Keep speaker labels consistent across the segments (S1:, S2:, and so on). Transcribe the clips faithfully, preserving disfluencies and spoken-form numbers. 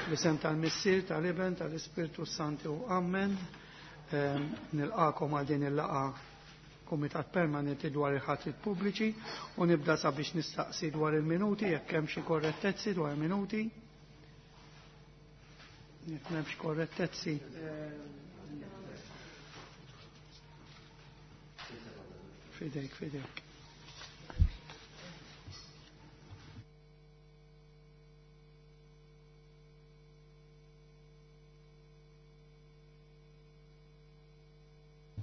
S1: B'isem tal-Missier, tal-Iben, tal-Ispirtu Santu. Amen. Ehm, nilqakom għal din il-laqa Kumitat Permanenti dwar il-ħatrit pubbliċi u nibda sabiex nistaqsi dwar il-minuti, jekk hemm xi korrettezzi dwar il-minuti. Jekk m'hemmx korrettezzi. Fidejk, fidejk.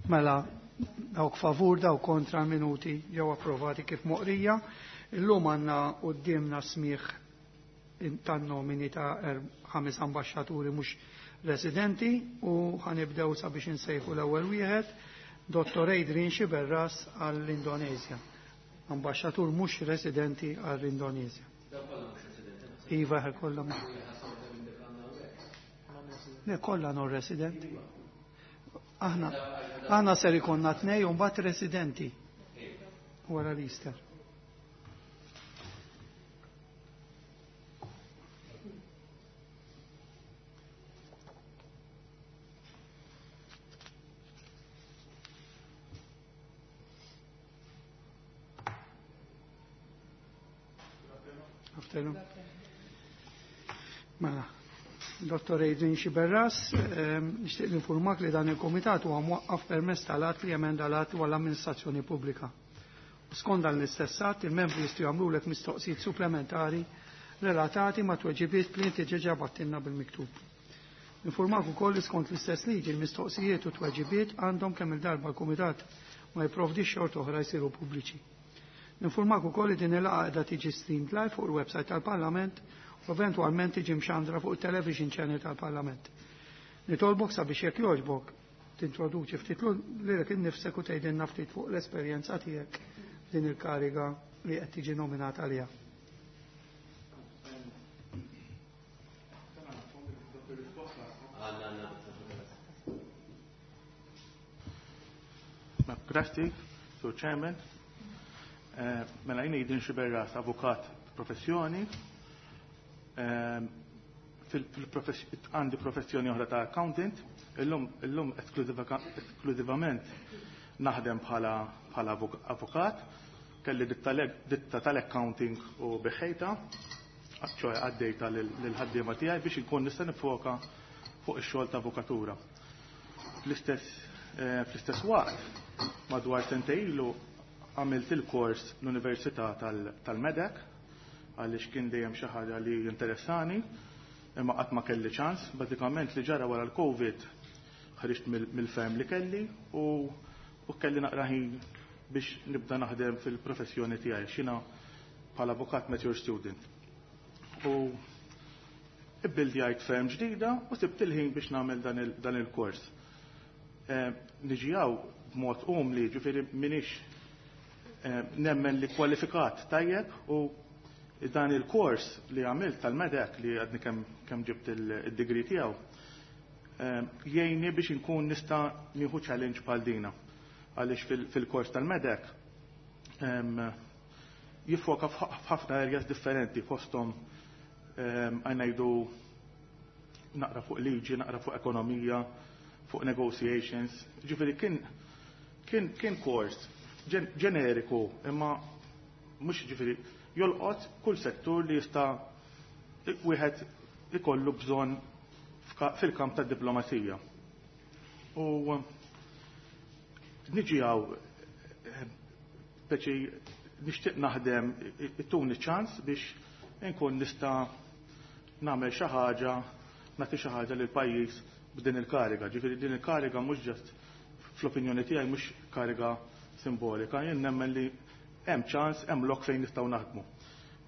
S1: Mela, dawk favur, dawk kontra minuti ġew approvati kif moqrija. Illum għandna qudiemna smigħ tan-nomini ta' er-, ħames ambaxxaturi mhux residenti u ħanibdew sabiex insejħu l-ewwel wieħed, Dottor Adrian Sciberras għall-Indonezja. Ambaxxatur mhux residenti għall-Indonezja. Iva, kollha Le, kollha non residenti. Aħna aħna ser ikonna tnej u mbagħad residenti wara l-Easter. Afternoon. Mela, Dottor Adrian Sciberras, ehm, nixtieq ninformak li dan il-komitat huwa mwaqqaf permezz tal-att li emenda l-att dwar l-amministrazzjoni pubblika. Skont dan l-istess att, il-membri jistgħu jagħmlulek mistoqsijiet supplementari relatati ma' tweġibiet li inti ġeġa battilna bil-miktub. Informak ukoll li skont l-istess liġi l-mistoqsijiet u tweġibiet għandhom kemm il-darba l-kumitat ma jipprovdix xorta oħra jsiru pubbliċi. Informak ukoll li din il-laqgħa qiegħda tiġi streamed live fuq il-website tal-Parlament u eventwalment tiġi mxandra fuq il-television channel tal-Parlament. Nitolbok sabiex jekk jogħġbok tintroduċi ftit lilek innifsek u tgħidilna ftit fuq l-esperjenza tiegħek din il-kariga li qed tiġi nominata għaliha.
S2: Grazzi, Sur Chairman. Eh, mela jien Adrian Sciberras, avukat professjoni. Għandi professjoni oħra ta' accountant, illum, illum esklusivament naħdem bħala, bħala avukat, kelli ditta tal-accounting u biħejta, ċoħe għaddejta lil-ħaddiema tiegħi biex inkun nista' nifoka fuq ix-xogħol ta' avukatura. Fl-istess eh, fl-istess waqt, madwar sentejn ilu għamilt il-kors l-Università tal-Medec, għaliex kien dejjem xi ħaġa li interessani, imma qatt ma kelli ċans. Bażikament li ġara wara l-Covid ħriġt mill-firm li kelli u, u kelli naqra ħin biex nibda naħdem fil-professjoni tiegħi xina bħala avukat mature student. U ibbildjajt firm ġdida u sibt il-ħin biex nagħmel dan il-kors. Eh, niġi hawn b'mod umli, ġifieri minix eh, nemmen li kwalifikat tajjeb u dan il-kors li għamilt tal-Medec li għadni kemm kem ġibt il-degree tiegħu jgħinni biex inkun nista' nieħu challenge bħal dina. Għaliex fil-kors tal-Medec jiffoka f'ħafna areas differenti fosthom ngħidu naqra fuq liġi, naqra fuq ekonomija, fuq negotiations. Ġifieri kien kien kien kors ġeneriku imma mhux ġifieri jolqot kull settur li jista' wieħed ikollu bżonn fil-kamp tad-diplomazija. U niġi hawn speċi nixtieq naħdem ittuni ċans biex inkun nista' nagħmel xi ħaġa, nagħti xi ħaġa lil pajjiż b'din il-kariga. Ġifieri din il-kariga mhux ġast fl-opinjoni tiegħi mhux kariga simbolika, jien nemmen li hemm ċans, hemm lok fejn nistgħu naħdmu.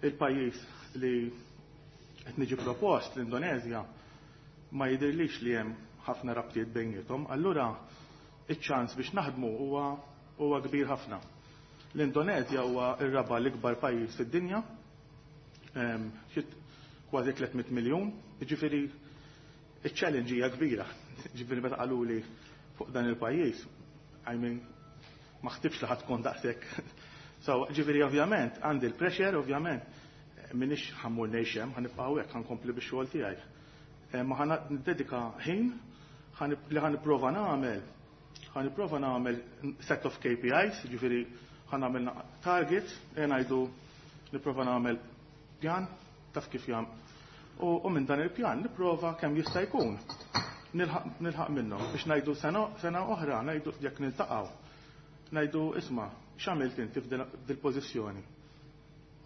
S2: Il-pajjiż li qed niġi propost, l-Indonezja, ma jidhirlix li hemm ħafna rabtiet bejniethom, allura iċ-ċans biex naħdmu huwa huwa kbir ħafna. L-Indonezja huwa r-raba' l-ikbar pajjiż fid-dinja, kważi tliet mitt miljun, jiġifieri iċ-challenge hija kbira. Ġifieri meta qaluli fuq dan il-pajjiż, I mean, ma ħtibx li ħadd tkun daqshekk. So, ġifieri ovvjament għandi l-pressure, ovvjament M'iniex ħa mmur ngħix hemm, ħa nibqa' hawnhekk, ħa nkompli bix-xogħol tiegħi. Ma ħa niddedika ħin li ħa nipprova nagħmel ħa nipprova nagħmel set of K P Is, ġifieri ħa nagħmel targets, e ngħidu nipprova nagħmel pjan taf kif jam. U, u minn dan il-pjan nipprova kemm jista' jkun nilħaq minnhom biex ngħidu sena, sena oħra, ngħidu jekk niltaqgħu, ngħidu, "Isma', x'għamilt inti f'dil-pożizzjoni?"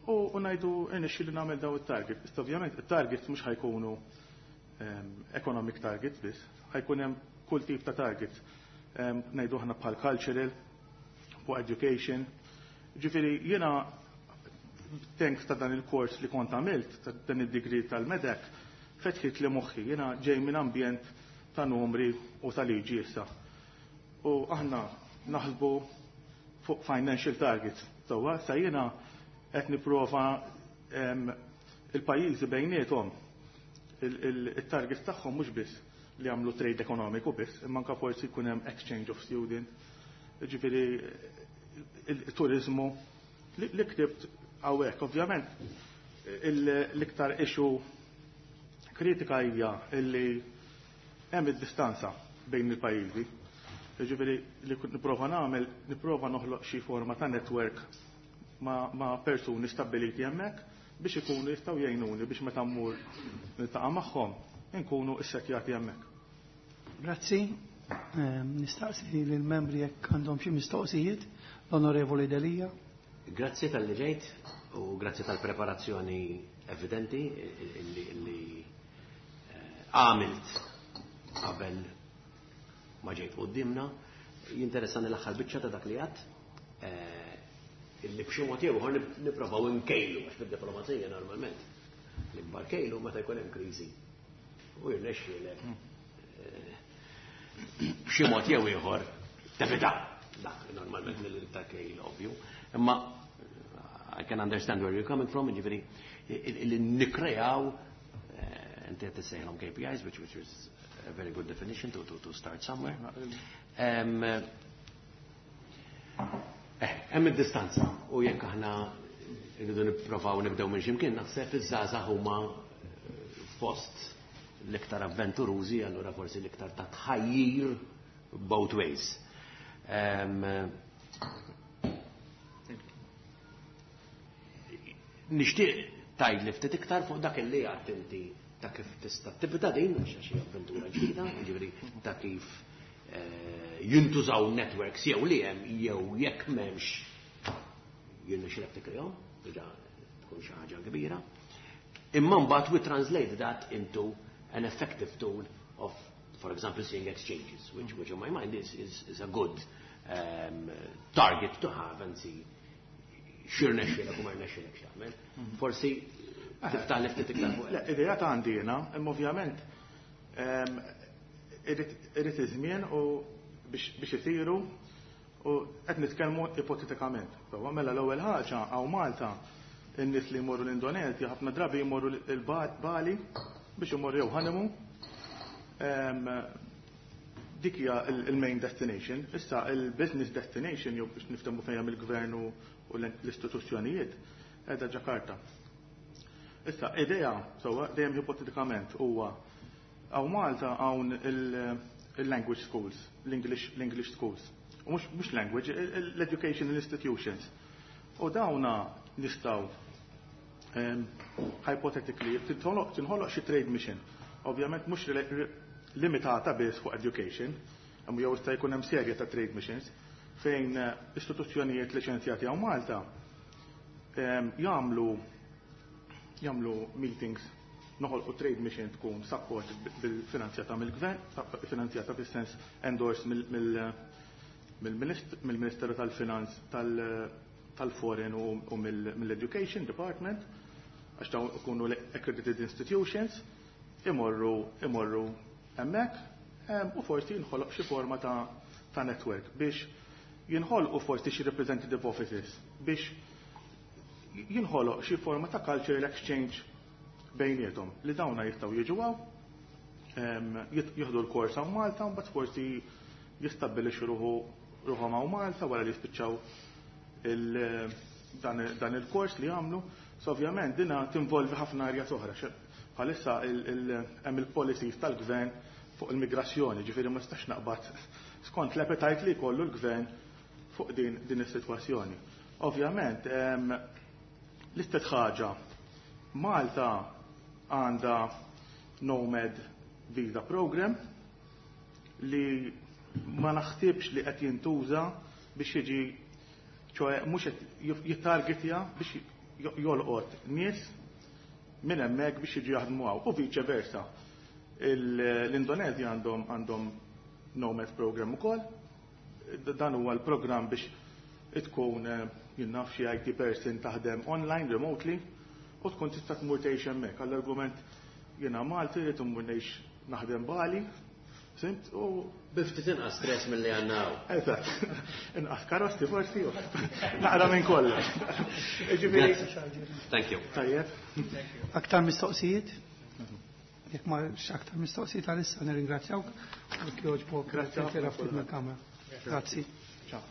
S2: U, u ngħidu irnexxieli nagħmel daw it-target. Issa ovvjament it-targets mhux ħa jkunu um, economic targets biss, ħa jkun hemm kull tip ta' targets. Um, ngħidu aħna bħal cultural, fuq education. Ġifieri jiena thanks ta' dan il-kors li kont għamilt, ta' dan id-degree tal-MEDEC, fetħit li moħħi, jiena ġej minn ambjent ta' numri u ta' liġi issa. U aħna naħsbu fuq financial targets. Sewwa, sa jiena qed nipprova il-pajjiżi bejniethom il-targets tagħhom mhux biss li jagħmlu trade ekonomiku biss, imma anke forsi jkun hemm exchange of student, ġifieri il-turizmu li ktibt hawnhekk, ovvjament l-iktar issue kritika hija illi hemm id-distanza bejn il-pajjiżi. Ġifieri li nipprova nagħmel, nipprova noħloq xi forma ta' network ma', ma persuni stabiliti hemmhekk biex ikunu jistgħu jgħinuni biex meta mmur niltaqa' magħhom inkunu issettjati hemmhekk.
S1: Grazzi. Ehm, nistaqsi lill-membri jekk għandhom xi mistoqsijiet. L-Onorevoli Delia.
S3: Grazzi talli ġejt u grazzi tal-preparazzjoni evidenti li eh, għamilt qabel ma ġejt qudiemna. Jinteressani l-aħħar biċċa ta' dak li għedt eh, illi b'xi mod jew ieħor nipprovaw inkejlu, għax fid-diplomazija normalment l-ikbar kejlu meta jkun hemm kriżi u jirnexxielek eh, b'xi mod jew ieħor tevita dak normalment l-iktar kejl ovvju. Imma I can understand where you're coming from, ġifieri li nikkreaw, inti qed tissejħilhom K P Is, which, which is a very good definition to, to, to start somewhere. Um, eh, hemm id-distanza u jekk aħna rridu nipprovaw nibdew minn ximkien, naħseb iż-żgħażagħ huma fost l-iktar avventurużi, allura forsi l-iktar ta' tħajjir both ways. Um, nixtieq tgħid li ftit iktar fuq dak li għedt inti ta' kif tista' tibda din, għax xi avventura ġdida, jiġifieri ta' kif eh, jintużaw networks jew li hemm jew jekk m'hemmx jirnexxilek tikkrejahom, diġà tkun xi ħaġa kbira. Imma mbagħad we translate that into an effective tool of, for example, seeing exchanges, which, which in my mind is, is, is a good um, target to have and see x'irnexxielek u ma rnexxielek x'tagħmel. Forsi tiftaħ li ftit iktar fuq.
S2: Le, idea ta' għandi jiena, imma ovvjament irid iż-żmien u biex isiru u qed nitkellmu ipotetikament. Sewwa, mela l-ewwel ħaġa, hawn Malta in-nies li jmorru l-Indonezja ħafna drabi jmorru l-Bali biex imorru jew honeymoon. Dik hija il-main destination. Issa il-business destination, jew biex niftehmu fejn mill-gvern u l-istituzzjonijiet, qiegħda Ġakarta. Issa, idea, sewwa, dejjem ipotetikament, huwa hawn Malta hawn il-language schools, l-English schools. U mhux language, l-educational institutions. U dawna nistgħu hypothetically tinħoloq xi trade mission. Ovvjament mhux limitata biss fuq education, imma jew jista' jkun hemm serje ta' trade missions fejn eh, istituzzjonijiet liċenzjati hawn Malta jagħmlu jagħmlu meetings, noħolqu trade mission tkun support bil-finanzjata mill-gvern, finanzjata fis-sens endorsed mill-Ministeru tal-Finanz, tal-Foreign u mill-Education Department, għax dawn ikunu accredited institutions, imorru imorru hemmhekk u forsi jinħoloq xi forma ta' ta' network biex jinħolqu forsi xi representative offices biex jinħoloq xi forma ta' cultural exchange bejniethom li dawna jistgħu jiġu hawn, jieħdu l-kors hawn Malta, mbagħad forsi jistabbilixxu ruħu ruħhom hawn Malta wara li jispiċċaw dan, dan il-kors li għamlu, so ovvjament dina tinvolvi ħafna arja oħra. Bħalissa hemm il-policies tal-gvern fuq il-migrazzjoni, ġifieri ma nistax naqbad skont l-appetite li jkollu l-gvern fuq din din is-sitwazzjoni. Ovvjament, l-istess ħaġa, Malta għandha Nomad Visa Program li ma naħsibx li qed jintuża biex jiġi, ċoe mhux qed jittargetja biex jolqot nies minn hemmhekk biex jiġu jaħdmu hawn u viċe versa. L-Indonezja għandhom għandhom Nomad Program ukoll. Dan huwa l-programm biex tkun jien naf xi I T person taħdem online remotely u tkun tista' tmur tgħix hemmhekk. Għall-argument jiena Malti rrid immur ngħix naħdem Bali, simt u
S3: bi ftit inqas stress milli għandna hawn.
S2: Eżatt. Inqas karozzi forsi u naqra minn kollox. Ġifieri.
S3: Thank you.
S2: Tajjeb.
S1: Aktar mistoqsijiet? Jekk ma aktar mistoqsijiet għalissa nirringrazzjawk u jogħġbok.
S2: Grazzi
S1: ħafna ftit mill-kamra. Grazzi.
S2: Ciao.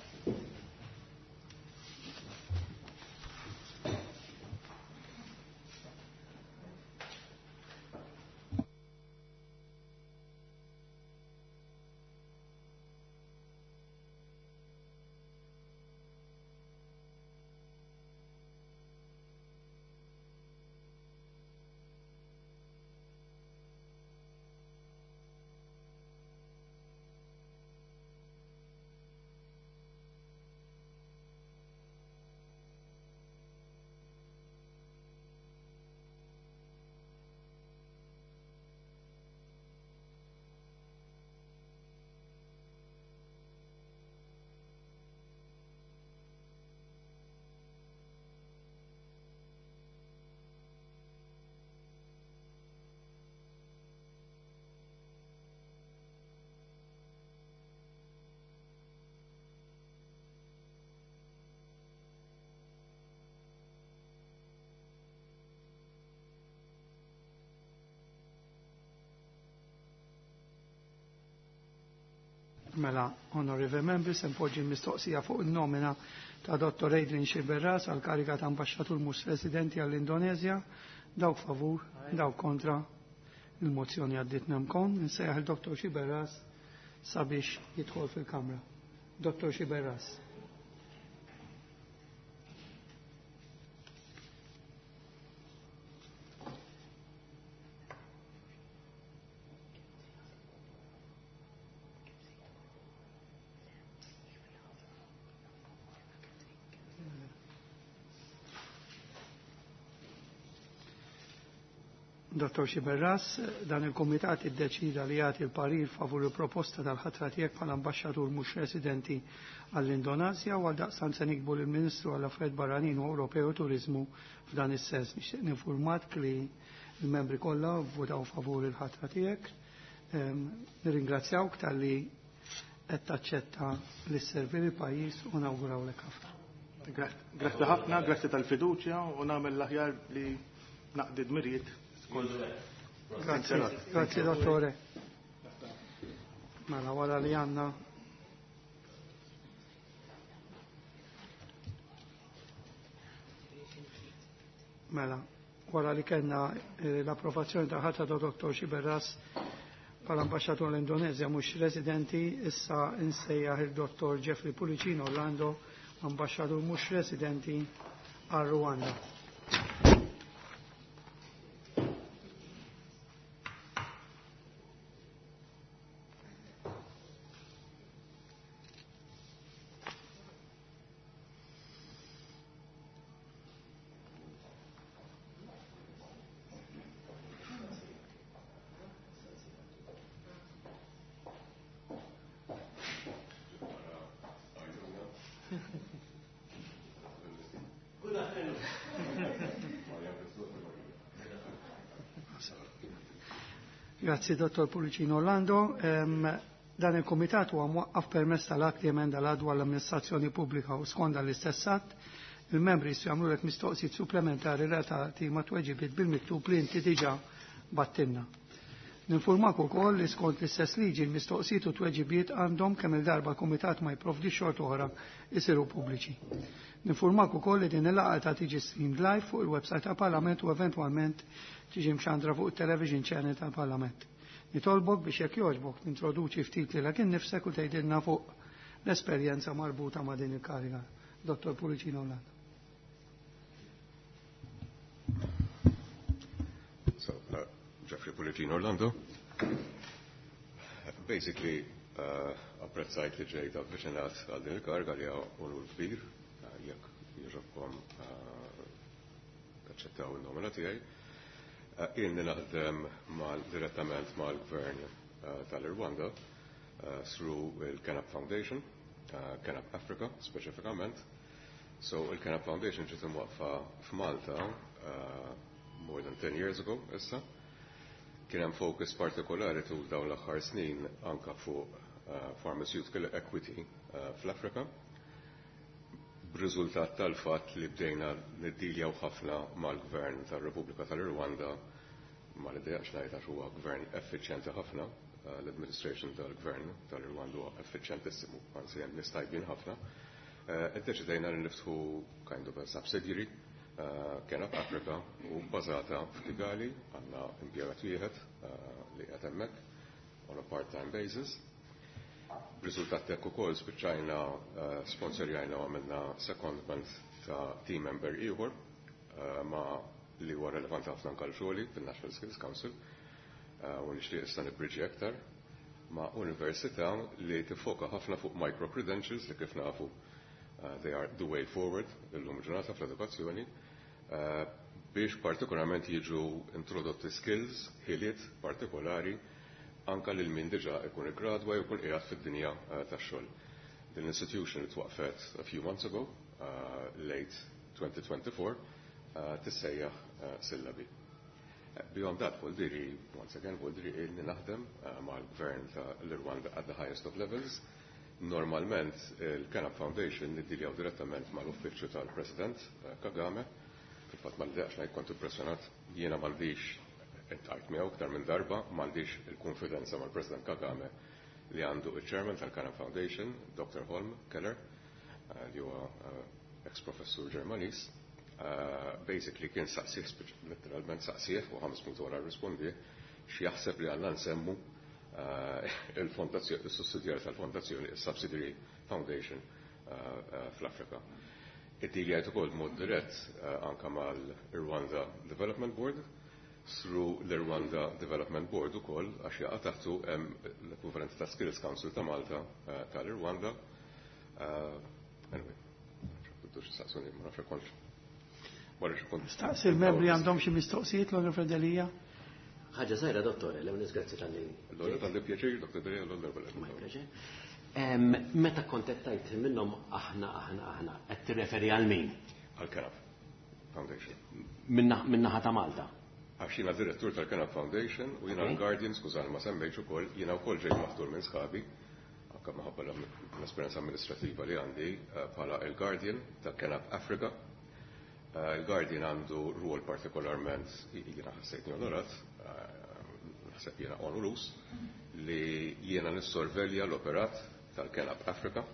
S1: Mela, onorevoli membri, se npoġġi mistoqsija fuq il-nomina ta' Dottor Adrian Sciberras għal kariga ta' ambasċatur mhux residenti għall-Indonezja. Dawk favur, dawk kontra. Il-mozzjoni għaddiet nemkon. Nsejjaħ il-Dottor Sciberras sabiex jidħol fil-Kamra. Dottor Sciberras. Dottor Sciberras, dan il-Komitat iddeċida li jagħti l-parir favur il-proposta tal-ħatra tiegħek bħala ambaxxatur mhux residenti għall-Indonasja u għaldaqstant se nikbu lill-Ministru għall Affarijiet Barranin u Ewropew u Turiżmu f'dan is-sens. Nixtieq ninfurmat li l-membri kollha vvutaw favur il-ħatra tiegħek. Nirringrazzjawk talli qed taċċetta li sservi l-pajjiż u nawgurawlek ħafna.
S2: Grazzi ħafna, grazzi tal-fiduċja u nagħmel l-aħjar li naqdi dmirijiet.
S1: Grazie, grazie dottore. Mela wara li għandna Mela, wara li kellna l-approvazzjoni ta' ħatra ta' Dottor Sciberras bħala ambaxxatur l-Indonezja mhux residenti, issa insejjaħ il-Dottor Jeffrey Pullicino Orlando, ambaxxatur mhux residenti għal Rwanda. Grazzi, Dottor Pullicino Orlando. Um, dan il-Komitat huwa mwaqqaf permezz tal-att li emenda l-għadwa l-amministrazzjoni pubblika u skonda l-istess att, il-membri jistgħu jagħmlulek mistoqsijiet supplementari relatati ma' tweġibiet bil-miktub li inti diġà battinna. Ninformak ukoll li skont l-istess liġi l-mistoqsijiet u tweġibiet għandhom kemm il-darba kumitat ma jipprovdi xort oħra isiru pubbliċi. Ninformak ukoll li din il-laqgħa ta' tiġi streamed live fuq il-website tal-Parlament u eventwalment tiġi mxandra fuq il-television channel tal-Parlament. Nitolbok biex jekk jogħġbok tintroduċi ftit lilek innifsek u tgħidilna fuq l-esperjenza marbuta ma' din il-kariga. Dottor Pullicino Orlando.
S4: So, uh, Jeffrey Pullicino Orlando. Basically, uh, apprezzajt li ġejt avviċinat għal din il-kariga li unur kbir, uh, jekk jogħġobkom uh, taċċettaw il-nomina tiegħi. Uh, Ilni naħdem mal direttament mal-gvern uh, tal-Irwanda uh, through il-Kenap Foundation, uh, Kenap Africa speċifikament. So il-Kenap Foundation ġiet imwaqqfa f'Malta uh, more than ten years ago issa. Kien hemm focus partikolari tul dawn l-aħħar snin anka fuq uh, pharmaceutical equity uh, fl-Afrika. B'riżultat tal-fatt li bdejna niddiljaw ħafna mal-gvern tar-Repubblika tal-Irwanda, ma l-idea ngħid għax huwa gvern effiċjenti ħafna, uh, l-administration tal-gvern tal-Irwanda huwa effiċjentissimu, anzi hemm nies tajbin ħafna. Iddeċidejna li niftħu kind of a subsidiary uh, Kenap Africa u bbażata f'Kigali, għandna impjegat wieħed uh, li qed hemmhekk on a part-time basis. B'riżultat hekk ukoll spiċċajna uh, sponsorjajna u għamilna secondment ta' team member ieħor uh, ma' li huwa relevanti ħafna anke xogħli fil-National Skills Council uh, u nixtieq issa nibbriġi aktar ma' università li tiffoka ħafna fuq micro-credentials li kif nafu uh, they are the way forward illum ġurnata fl-edukazzjoni uh, biex partikolarment jiġu introdotti skills, ħiliet partikolari anka lil min diġà ikun iggradwa jew ikun qiegħed fid-dinja uh, tax-xogħol. Din l-institution li twaqfet a few months ago, uh, late twenty twenty-four, uh, tissejjaħ uh, Sillabi. Uh, Beyond that, Voldiri, once again, Voldiri ilni naħdem uh, mal-gvern ta' l-Rwanda at the highest of levels. Normalment, il-Kenap Foundation niddiljaw direttament mal-uffiċċju tal-President uh, Kagame. Fil-fatt ma l ngħid kont impressjonat, jiena m'għandix, iltqajt miegħu aktar minn darba, m'għandix il-konfidenza mal-President Kagame li għandu il-Chairman tal-Kenap Foundation, Doctor Holm Keller, uh, li huwa uh, ex-professur Ġermanis. Uh, basically kien saqsih, letteralment saqsih, u ħames minuti wara rispondi, x'jaħseb li għandna nsemmu uh, il-fondazzjoni, il-sussidjar tal-fondazzjoni, il-Subsidiary Foundation uh, uh, fl-Afrika. Iddiljajt ukoll mod dirett uh, anka mal-Rwanda Development Board, through l-Rwanda Development Board ukoll għax jaqa' taħtu hemm l-ekwivalent ta' Skills Council ta' Malta uh, tal-Rwanda. Uh, anyway, x'aħtux saqsuni, ma nafx kontx. Wara xi kont.
S1: Staqsi l-membri għandhom xi mistoqsijiet l-Onorevoli Delia?
S3: Ħaġa żgħira, dottore, l-ewwel grazzi talli.
S4: L-ewwel talli pjaċir, Doctor Delia, l-ewwel.
S3: My pleasure. Em, Meta kontettajt minnhom aħna, aħna, aħna, qed tirreferi għal min?
S4: Għal-Kenap Foundation.
S3: Min-naħa ta' Malta.
S4: Għax jiena direttur tal-Kenap Foundation u jiena
S3: Okay.
S4: l-Guardian, skużani ma semmejtx ukoll, jiena wkoll ġejt maħtur minn sħabi, anke minħabba l-esperjenza amministrativa li għandi eh, bħala il-Guardian ta' Kenap Africa. Eh, Il-Guardian għandu rwol partikolarment, jiena ħassejtni onorat, eh, naħseb jiena onorus, li jiena nissorvelja l-operat tal-Kenap Africa,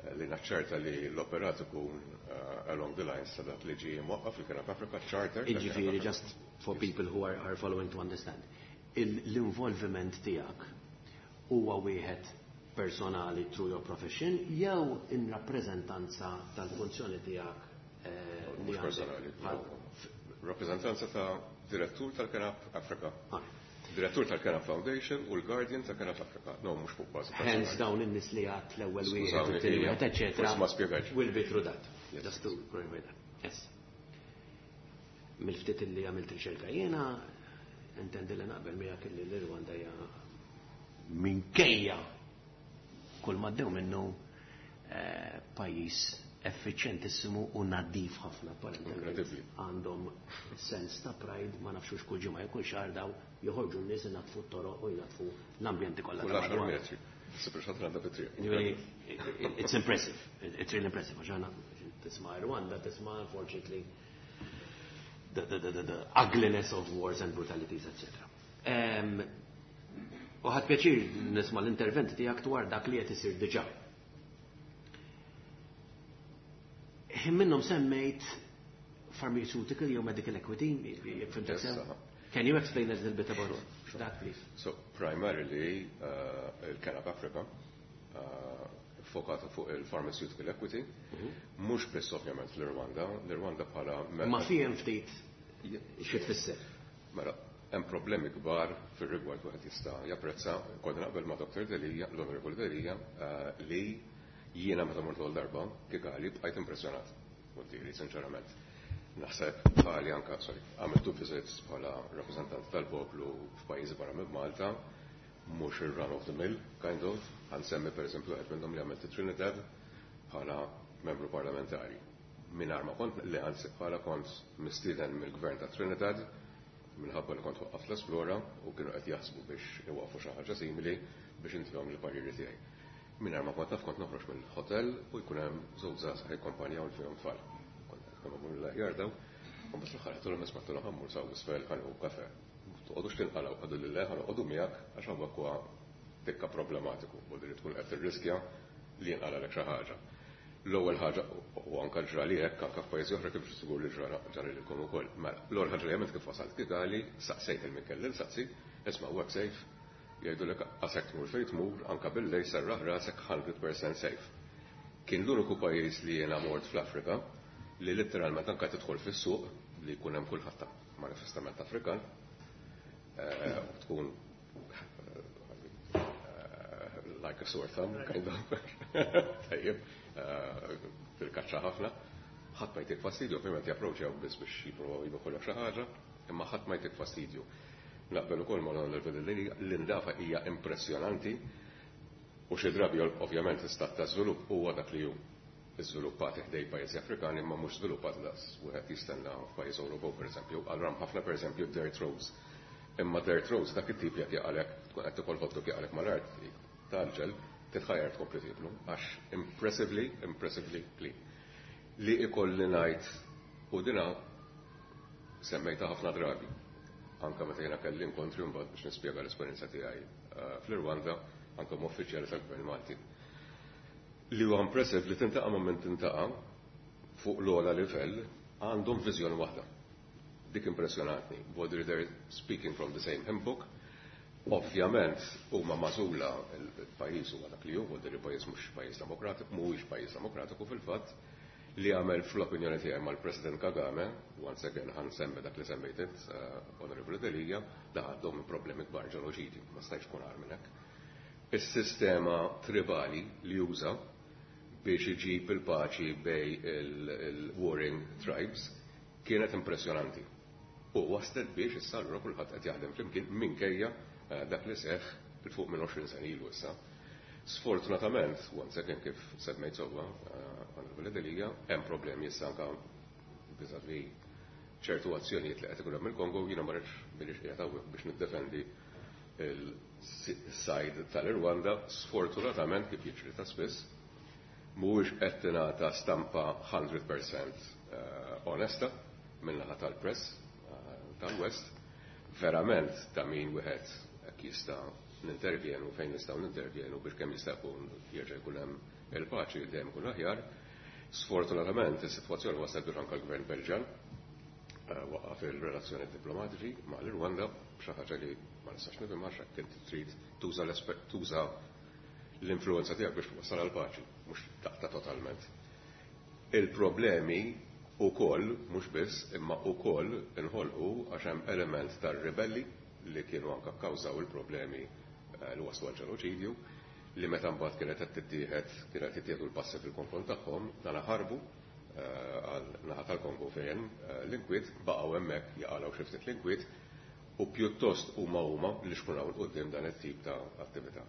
S4: eh, li naċċerta li l-operat ikun eh, along the lines ta' dak li ġie mwaqqaf fil-Kenap Africa Charter tal-Kenap
S3: Iġifieri,
S4: Africa.
S3: Just for people who are, are following to understand, il- l-involviment tiegħek huwa wieħed personali through your profession jew in rappreżentanza tal-funzjoni tiegħek eh, li
S4: Mhux
S3: għandek?
S4: personali.
S3: Bħal-
S4: Rappreżentanza ta' direttur tal-Kenap Africa.
S3: Ah.
S4: Direttur tal-Kenap Foundation u l-Guardian tal-Kenap Africa. No, mhux fuq bażi
S3: Hence
S4: personali.
S3: dawn in-nies li għat l-ewwel wieħed,
S4: Skużawni,
S3: it-tieni
S4: ija.
S3: wieħed, eċetera.
S4: Forsi ma spjegajtx.
S3: Will be through that.
S4: Yes.
S3: Just to clarify that. Yes. Mill-ftit li għamilt riċerka jiena, intendi li naqbel miegħek li l-Rwanda hija minkejja kull ma ddew minnu eh, pajjiż effiċjentissimu u nadif ħafna apparentement.
S4: Incredibly.
S3: Għandhom sens ta' pride, ma nafxux kull ġimgħa jew kull xahar daw joħorġu n-nies inatfu t-toroq u jnatfu l-ambjenti kollha
S4: Kull
S3: ta'
S4: għaxar
S3: madwar.
S4: metri. Sipri xatr għandha fit-triq.
S3: Ġifieri, it's impressive. It's really impressive. Għax aħna tisma' Rwanda, tisma' unfortunately the, the, the, the, the ugliness of wars and brutalities, et cetera. Um, U ħadt pjaċir nisma' l-interventi tiegħek dwar dak li qed isir diġà. Ħin minnhom semmejt pharmaceutical jew medical equity, jekk fhimtek
S4: Yes,
S3: sew?
S4: uh-huh.
S3: Can you explain a little bit about that, please?
S4: So, primarily, uh, il-Canap Africa, uh, fokata fuq il-pharmaceutical equity, mhux biss ovvjament l-Rwanda, l-Rwanda bħala
S3: Ma fihem ftit xi tfisser.
S4: Mela, hemm problemi kbar fir-rigward wieħed jista' japprezza, kont naqbel ma' Dr. Delia, l-Onorevoli Delia, uh, li jiena meta mort l darba Kigali bqajt impressjonat, vuol sinċerament. Naħseb bħali anka, sorry, għamiltu visits bħala rappresentant tal-poplu f'pajjiżi barra minn Malta, mhux il-run of the mill, kind of, ħa nsemmi per eżempju għed minnhom li għamilt Trinidad bħala membru parlamentari. Mingħajr ma kont li anzi bħala kont mistieden mill-gvern ta' Trinidad minħabba li kont waqqaft l-Esplora u kienu qed jaħsbu biex iwaqfu xi ħaġa simili biex intihom il-pariri tiegħi. Mingħajr ma kont naf kont noħroġ mill-hotel u jkun hemm żewġ żgħażagħ jikkompanjaw li fihom tfal. Kont qed mill-aħjar daw, u mbagħad fl-aħħar għedtilhom isma' għedtilhom ħa mmur sa isfel ħa nieħu kafè. Toqgħodux tinqalgħu għadu lil ħa noqogħdu miegħek għax hawnhekk huwa tikka problematiku u li tkun qed tirriskja li jinqalgħalek xi ħaġa. L-ewwel ħaġa u anke ġrali hekk anke f'pajjiżi oħra kif sigur li ġara ġara lilkom ukoll. Mela, l-ewwel ħaġa li għamilt kif wasalt Kigali, saqsejt il min kelli nsaqsi, isma' work safe, jgħidulek qasek tmur fejn tmur, anke bil-lejl serraħ rasek hundred percent safe. Kien l-uniku pajjiż li jiena mort fl-Afrika li letteralment anke tidħol fis-suq li jkun hemm kulħadd manifestament Afrikan, eh, u tkun eh, like a sore thumb, kind of. Tajjeb, eh, fil-kaċċa ħafna. Ħadd ma jtik fastidju, ovvjament japproċċjaw biss biex jipprovaw jibħolok xi ħaġa, imma ħadd ma jtik fastidju. Naqbel ukoll ma' l-Onorevoli Delia, l-indafa hija impressjonanti u xi drabi ovvjament l-istat ta' żvilupp huwa dak li hu żviluppati ħdej pajjiżi Afrikani imma mhux żviluppati daqs wieħed jistenna f'pajjiż Ewropew pereżempju. Allura hemm ħafna pereżempju dirt roads. Imma dirt roads dak it-tip jekk jaqalek tkun qed tikol hot dog jaqalek mal-art tal-ġel titħajjar tkompli tieklu għax impressively, impressively clean. Li ikolli ngħid u dina semmejta ħafna drabi. Anka meta jiena kelli inkontri mbagħad biex nispjega l-esperjenza tiegħi eh, fl-Irwanda, anke ma' uffiċjali tal-Gvern Malti. Li huwa impressive li tintaqa' ma' min tintaqa' fuq l-ogħla livell għandhom viżjoni waħda. Dik impressjonatni. Whether they're speaking from the same hymn book, ovvjament huma magħżula il-pajjiż huwa dak li hu, whether il-pajjiż mhux pajjiż demokratiku, mhuwiex pajjiż demokratiku fil-fatt, li għamel fl-opinjoni tiegħi mal-President Kagame, once again ħa nsemmi dak li semmejt int, uh, Onorevoli Delia, da għandhom problemi kbar ġenoċidi, ma stajx kun agħar minn hekk. Is-sistema tribali li juża biex iġib il-paċi bej il-warring tribes kienet impressjonanti. U waslet biex issa allura kulħadd qed jaħdem flimkien minkejja eh, dak li seħħ il fuq minn għoxrin sena ilu issa. Sfortunatament, once again kif semmejt sewwa, eh, Onorevoli Delia, hemm problemi issa anke vis-à-vis ċertu azzjonijiet li qed ikun hemm il-Kongo, jiena ma rridx m'iniex qiegħed hawnhekk biex niddefendi il-side tal-Irwanda, sfortunatament kif jiġri ta' spiss, mhuwiex qed tingħata stampa hundred percent, eh, onesta min-naħa tal-press, eh, tal-West, verament ta' min wieħed hekk jista' nintervjenu fejn nistgħu nintervjenu biex kemm jista' jkun jerġa' jkun hemm il-paċi dejjem ikun aħjar. Sfortunatament is-sitwazzjoni waslet biex anke l-Gvern Belġan, eh, waqaf il-relazzjoni diplomatiċi ma' l-Irwanda, xi ħaġa li ma nistax nifhem għax hekk inti trid tuża l-esper-, tuża l-influenza tiegħek biex twassal għal paċi, mhux taqta' totalment. Il-problemi ukoll, mhux biss, imma ukoll inħolqu għax hemm element tar-ribelli li kienu anke kkawżaw il-problemi, eh, li waslu għal ġenoċidju, li meta mbagħad kienet qed tittieħed, kienet tittieħdu l-passi fil-konfront tagħhom, dan ħarbu, eh, għal naħa tal-Kongo fejn, eh, l-inkwiet baqgħu hemmhekk jaqalgħu xi ftit l-inkwiet u pjuttost huma huma li xkunaw 'il quddiem dan it-tip ta' attività.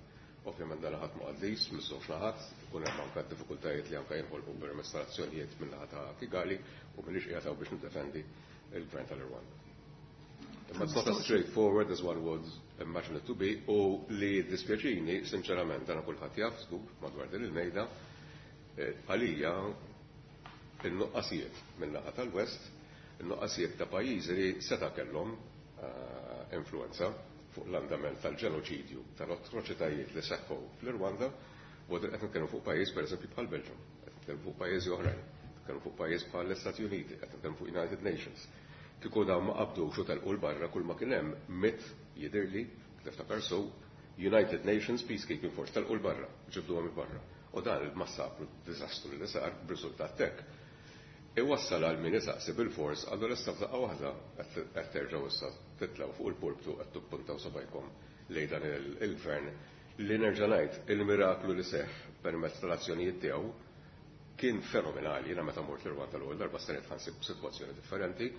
S4: Ovvjament dan ħadd ma qaddis, miż-żewġ naħat, ikun hemm anke diffikultajiet li anke jinħolqu permezz tal-azzjonijiet min-naħa ta' Kigali u m'iniex qiegħed hawn biex niddefendi il-gvern tal-Irwanda. Imma it's not as straightforward as one would imagine it to be, u li dispjaċini, sinċerament, dan kulħadd jaf żgur madwar din il-mejda, eh, għalija il-nuqqasijiet min-naħa tal-West, il-nuqqasijiet ta' pajjiżi li seta' kellhom, eh, influenza fuq l-andament tal-ġenoċidju, tal-atroċitajiet li seħħu fl-Rwanda, u qed nitkellmu fuq pajjiż pereżempju bħal Belġium, qed nitkellmu fuq pajjiżi oħrajn, nitkellmu fuq pajjiż bħal l-Istati Uniti, qed nitkellmu fuq United Nations. Kieku dawn ma qabdux u telqu 'l barra kull ma kien hemm mitt jidhirli niftakar sew United Nations Peacekeeping Force telqu 'l barra, ġibduhom 'il barra. U dan il-massakru, diżastru li sar b'riżultat hekk. Iwassal għal min isaqsi bil-fors għandu l-issa f'daqqa waħda qed terġgħu issa titlgħu fuq il-pulptu qed tippuntaw subgħajkom lejn dan il-gvern li nerġa' ngħid il-miraklu li seħħ permezz tal-azzjonijiet tiegħu kien fenomenali. Jiena meta mort l-Rwanda l-ewwel darba stennejt ħa nsib sitwazzjoni differenti.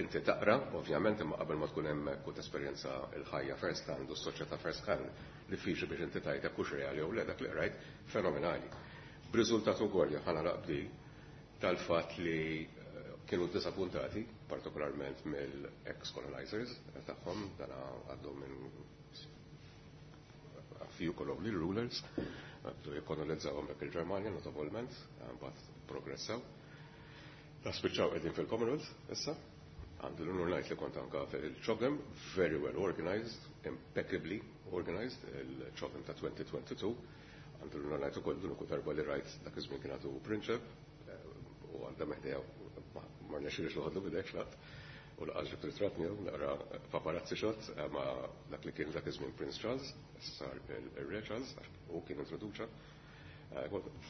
S4: Inti taqra, ovvjament, imma qabel ma tkun hemmhekk u tesperjenza l-ħajja first hand u s-soċjetà first hand, diffiċli biex inti tgħid jekk hux reali jew le. Dak li qrajt fenomenali. B'riżultat ukoll ħa nagħlaq b'di tal-fatt li kienu disappuntati, partikolarment mill-ex-colonizers tagħhom, dana għaddew minn a few colonial rulers, bdew jikkolonizzawhom dak il-Ġermanja notevolment, mbagħad progressaw. Da spiċċaw qegħdin fil-Commonwealth issa. Għandu l-unur ngħid li kont anka fil-CHOGM, very well organized, impeccably organized, il-CHOGM ta' twenty twenty-two. Għandu l-unur ngħid ukoll l-uniku darba li rajt dak iż-żmien kien għadu prinċep, u għandha meħdija ma rnexxilix noħodlu bidek xlat. U lanqas ġibt ritratt miegħu, naqra paparazzi shot ma dak li kien dak iż-żmien Prince Charles, sar il-Re Charles, u kien introduċa.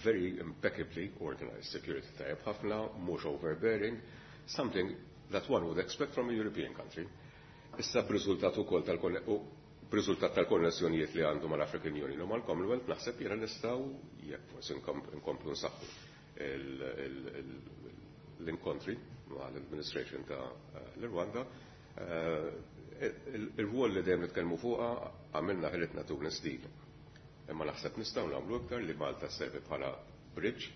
S4: Very impeccably organized, security tajjeb ħafna, mhux overbearing, something that one would expect from a European country. Issa b'riżultat ukoll tal b'riżultat tal-konnessjonijiet li għandu mal-African Union u mal-Commonwealth, naħseb jiena nistgħu jekk forsi nkomplu nsaħħu l-inkontri mal-administration ta' l-Rwanda. Il-rwol li dejjem nitkellmu fuqha, għamilna ħilitna Tunis deal. Imma naħseb nistgħu nagħmlu iktar li Malta servi bħala bridge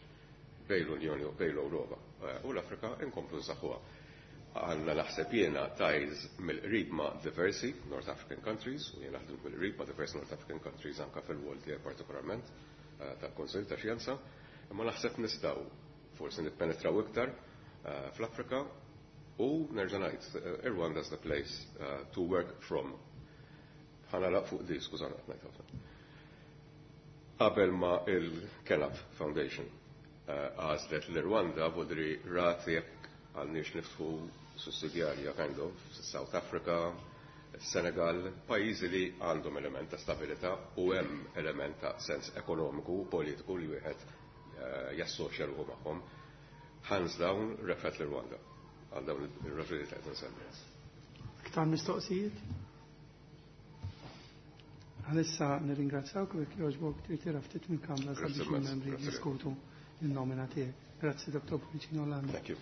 S4: bejn l-Unjoni u bejn l-Ewropa u l-Afrika, inkomplu nsaħħuha. Għandna naħseb jiena ties mill-qrib ma' diversi North African countries, u jiena naħdem mill-qrib ma' diversi North African countries anka fil-wol tiegħi partikolarment tal-Konsil ta' Xjenza, imma naħseb nistgħu forsi nippenetraw iktar fl-Afrika u nerġa' ngħid Rwanda's the place to work from. Ħa nagħlaq fuq di, skużani qed ngħid ħafna. Qabel ma il-Kenaf Foundation għażlet l-Rwanda, vodri rat jekk għandniex niftħu sussidjarja kind of South Africa, Senegal, pajjiżi li għandhom element ta' stabilità u hemm element ta' sens ekonomiku u politiku li wieħed jassoċja ruħu magħhom. Hands down, refet l-Rwanda. Għal dawn ir-raġunijiet qed nsemmi.
S1: Iktar mistoqsijiet? Għalissa nirringrazzjawk u jekk jogħġbok trid ftit minn kamra sabiex il-membri jiddiskutu il-nomina tiegħek. Grazzi, Dottor Pullicino Orlando.
S4: Thank you.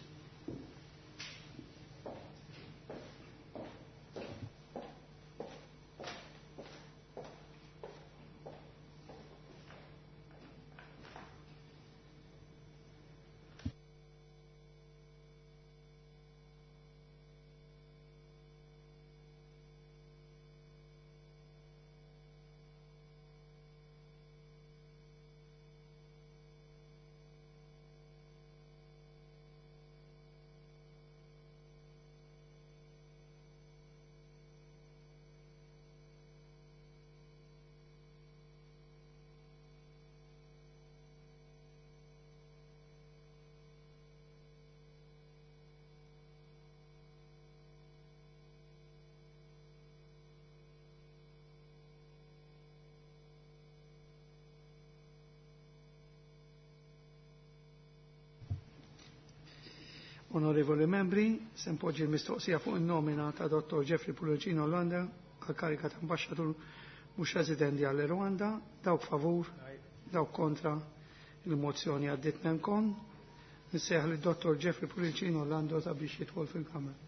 S1: Onorevoli membri, se npoġġi l-mistoqsija fuq il-nomina ta' Dottor Jeffrey Pullicino Orlando għal karika ta' ambasċatur mhux residenti għal Rwanda. Dawk favur, dawk kontra, il-mozzjoni għaddiet nemkon. Nsejjaħ li Dottor Jeffrey Pullicino Orlando sabiex jidħol fil-kamra.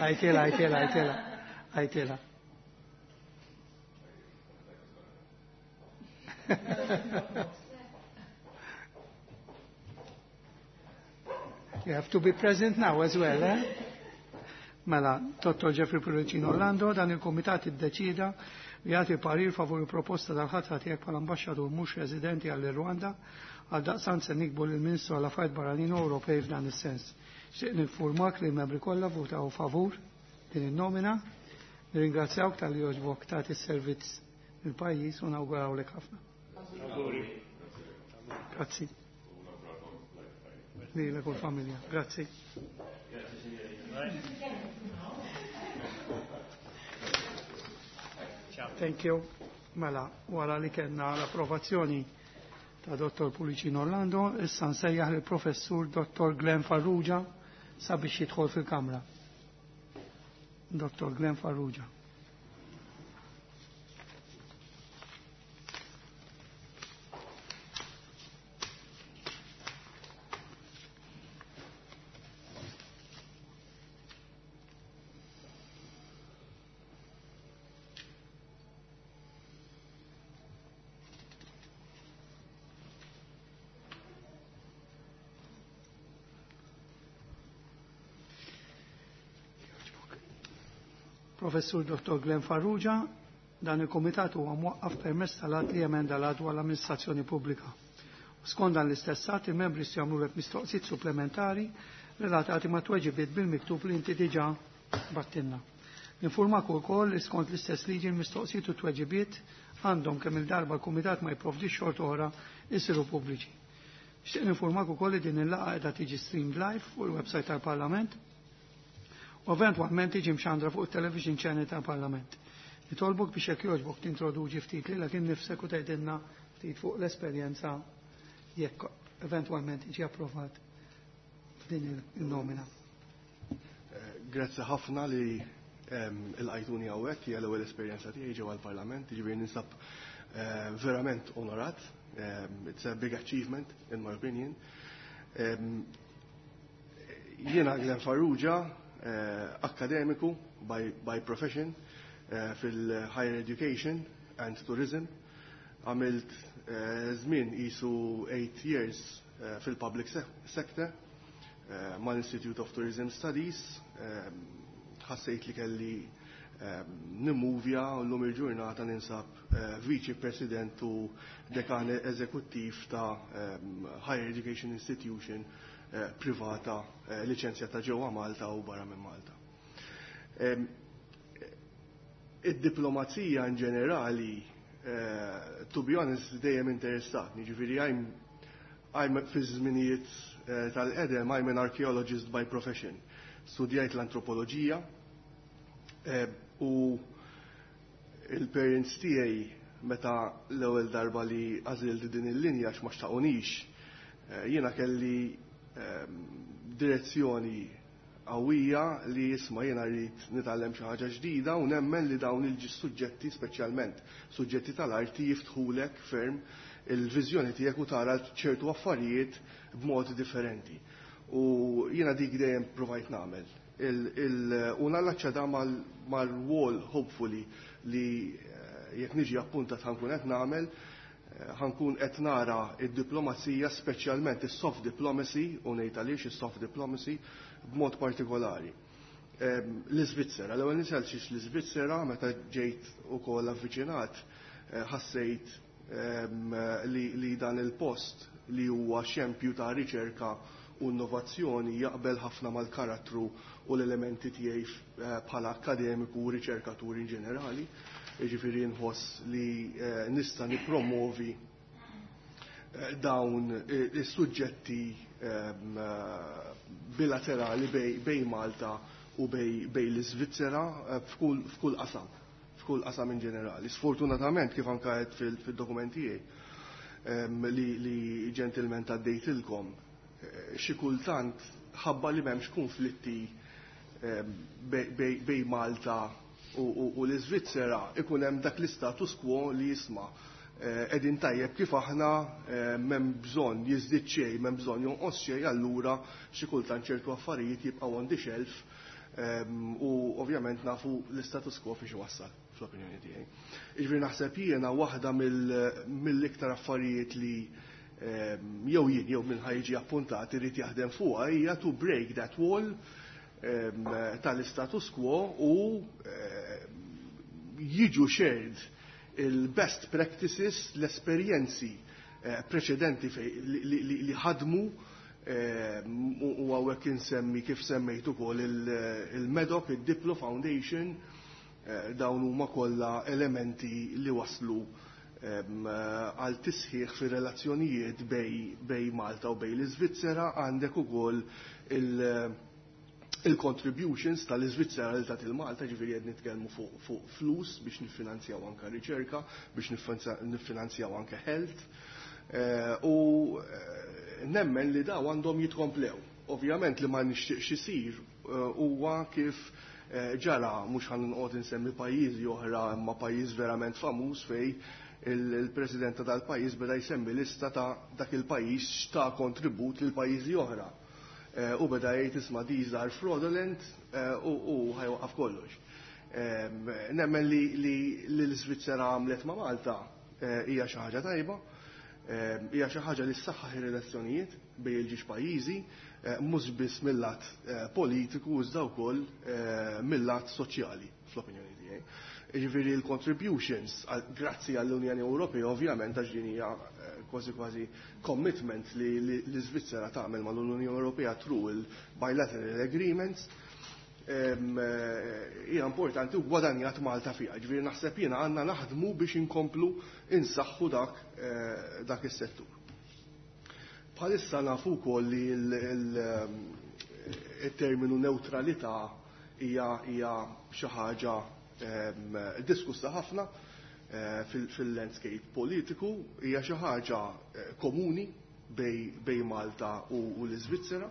S1: Għajtela, għajtela, għajtela, għajtela. You have to be present now as well, eh? Mela, Dottor Jeffrey Pullicino Orlando, dan il-Komitat iddeċida li jagħti parir favur il-proposta tal-ħatra tiegħek bħala ambaxxatur mhux residenti għall-Rwanda għal daqstant se nikbu lill-Ministru għal Affarijiet Barranin Ewropej f'dan is-sens. Xtieq ninfurmak li l-membri kollha votaw favur din in-nomina. Nirringrazzjawk tal-li jogħġbok tagħti s-servizz lill-pajjiż u nawgurawlek ħafna. Grazzi. Lilek u l-familja. Grazzi. Thank you. Mela, wara li kellna l-approvazzjoni ta' Dottor Pullicino Orlando, issa nsejjaħ lill professur Dottor Glenn Farrugia sabiex jidħol fil-kamra. Dottor Glenn Farrugia. Professur Dottor Glenn Farrugia, dan il-Komitat huwa mwaqqaf permezz tal-att li emenda l-att dwar l-amministrazzjoni pubblika. Skont dan l-istess att, il-membri jistgħu jagħmlulek mistoqsijiet supplementari relatati ma' tweġibiet bil-miktub li inti diġà battilna. Ninformak ukoll li skont l-istess liġi l-mistoqsijiet u tweġibiet għandhom kemm il-darba l-Kumitat ma jipprovdix xorta oħra jsiru pubbliċi. Nixtieq ninformak ukoll li din il-laqgħa qiegħda tiġi streamed live fuq il-website tal-Parlament u eventwalment tiġi mxandra fuq il-television channel tal-Parlament. Nitolbok biex jekk jogħġbok tintroduċi ftit lilek innifsek u tgħidilna ftit fuq l-esperjenza jekk eventwalment tiġi approvat f'din il-nomina.
S5: Grazzi ħafna li il-għajtuni hawnhekk, hija l-ewwel esperjenza tiegħi ġewwa l-Parlament, jiġifieri ninsab verament onorat. It's a big achievement in my opinion. Jiena Glenn Farrugia, akademiku by, by profession fil-higher education and tourism. Għamilt żmien qisu eight years fil-public sector mal-Institute of Tourism Studies. Ħassejt li kelli nimmuvja u llum il-ġurnata ninsab Viċi President u Dekan Eżekuttiv ta' Higher Education Institution privata liċenzjata ġewwa Malta u barra minn Malta. Id-diplomazija in ġenerali, to be honest, dejjem interessatni, ġifieri I'm, I'm fi żminijiet tal-qedem, I'm an archaeologist by profession. Studjajt l-antropoloġija u il-parents tiegħi meta l-ewwel darba li għażilt din il-linja għax ma xtaqunix, jiena kelli direzzjoni qawwija li jisma' jiena rrid nitgħallem xi ħaġa ġdida u nemmen li dawn il-suġġetti, speċjalment suġġetti tal-arti, jiftħulek ferm il-viżjoni tiegħek u tara ċertu affarijiet b'mod differenti. U jiena dik dejjem provajt nagħmel. U nallaċċa da mal-wall hopefully li jekk niġi appuntat ħankun qed nagħmel, ħankun qed nara id-diplomazija, speċjalment is-soft diplomacy, u ngħid għaliex is-soft diplomacy b'mod partikolari. L-Iżvizzera, l-ewwel nisel xiex l-Iżvizzera meta ġejt ukoll avviċinat, ħassejt li dan il-post li huwa xempju ta' riċerka u innovazzjoni jaqbel ħafna mal-karattru u l-elementi tiegħi bħala akademiku u riċerkatur in ġenerali. Jiġifieri nħoss li nista' nippromovi dawn is-suġġetti bilaterali bej Malta u bej l-Iżvizzera f'kull qasam, f'kull qasam in ġenerali. Sfortunatament, kif anke qed fil-dokumenti tiegħi li ġentilment għaddejtilkom, xi kultant ħabba li m'hemmx konflitti bej Malta u l-Iżvizzera ikun hemm dak l-istatus quo li jisma' qegħdin tajjeb kif aħna m'hemm bżonn jiżdied xejn, m'hemm bżonn jonqos xejn, allura xi kultant ċertu affarijiet jibqgħu on the shelf u ovvjament nafu l-istatus quo fiex iwassal fl-opinjoni tiegħi. Jiġifieri naħseb jiena waħda mill-iktar affarijiet li jew jien jew min ħa jiġi appuntat irid jaħdem fuqha hija to break that wall tal-status quo u jiġu shared il-best practices, l-esperjenzi preċedenti li ħadmu, u hawnhekk insemmi kif semmejt ukoll il-MEDOC, il-Diplo Foundation, dawn huma kollha elementi li waslu għal tisħiħ fi relazzjonijiet bej Malta u bej l-Iżvizzera. Għandek ukoll il-contributions tal-Iżvizzera li tat il-Malta, ġifieri qed nitkellmu fuq flus biex niffinanzjaw anke riċerka, biex niffinanzjaw anke health, u nemmen li daw għandhom jitkomplew. Ovvjament li ma nixtieqx isir huwa kif ġara, mhux ħa nqgħod insemmi pajjiżi oħra, imma pajjiż verament famuż fej il-president ta' dal-pajjiż beda jsemmi lista ta' dak il-pajjiż x'ta kontribut lil pajjiżi oħra. U beda jgħid isma' these are fraudulent u ħa jwaqqaf kollox. Nemmen li l-Iżvizzera għamlet ma' Malta hija xi ħaġa tajba, hija xi ħaġa li ssaħħaħ ir-relazzjonijiet bejn il-ġiex pajjiżi, mhux biss mill-lat politiku iżda wkoll mill-lat soċjali fl-opinjoni tiegħi. Ġifieri l-contributions grazzi għall-Unjoni Ewropea, ovvjament, għax din hija kważi kważi commitment li l-Iżvizzera tagħmel mal-Unjoni Ewropea through il-bilateral agreements, hija importanti u gwadanjat Malta fiha. Ġifieri naħseb jiena għandna naħdmu biex inkomplu insaħħu dak dak is-settur. Bħalissa nafu wkoll li il-terminu neutralità hija hija xi ħaġa diskussa ħafna fil-landscape politiku, hija xi ħaġa komuni bej Malta u l-Iżvizzera.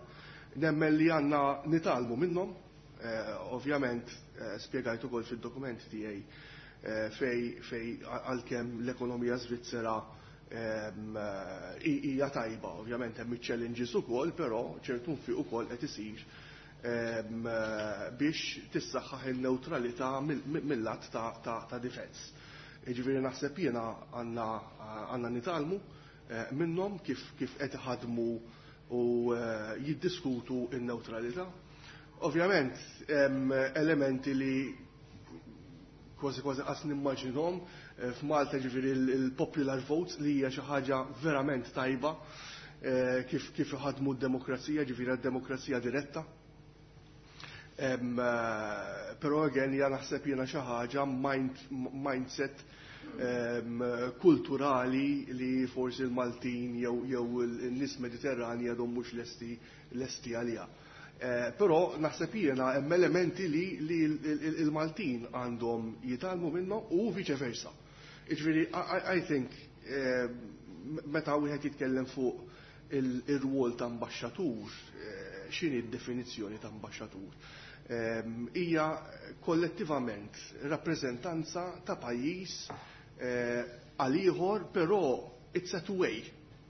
S5: Nemmen li għandna nitgħallmu minnhom. Ovvjament spjegajt ukoll fid-dokument tiegħi fej fej għalkemm l-ekonomija Svizzera hija tajba, ovvjament hemm iċ-challenges ukoll, però ċertu nfiq ukoll qed isir biex tissaħħaħ il-neutralità mill-lat ta' defense. Jiġifieri naħseb jiena għandna nitgħallmu minnhom kif kif qed iħadmu u jiddiskutu n-neutralità. Ovvjament hemm elementi li kważi kważi qas nimmaġinhom f'Malta, ġifieri il-popular votes li hija xi ħaġa verament tajba kif kif iħadmu d-demokrazija, ġifieri d-demokrazija diretta. Però again hija naħseb jiena xi ħaġa mindset kulturali li forsi l-Maltin jew n-nies Mediterrani għadhom mhux lesti lesti għaliha. Però naħseb jiena hemm elementi li l-Maltin għandhom jitgħallmu minnhom u vice versa. Jiġifieri I think meta wieħed jitkellem fuq ir-rwol ta' ambaxxatur, x'inhi d-definizzjoni ta' ambaxxatur? Hija kollettivament rappreżentanza ta' pajjiż għal ieħor, però it's a two-way.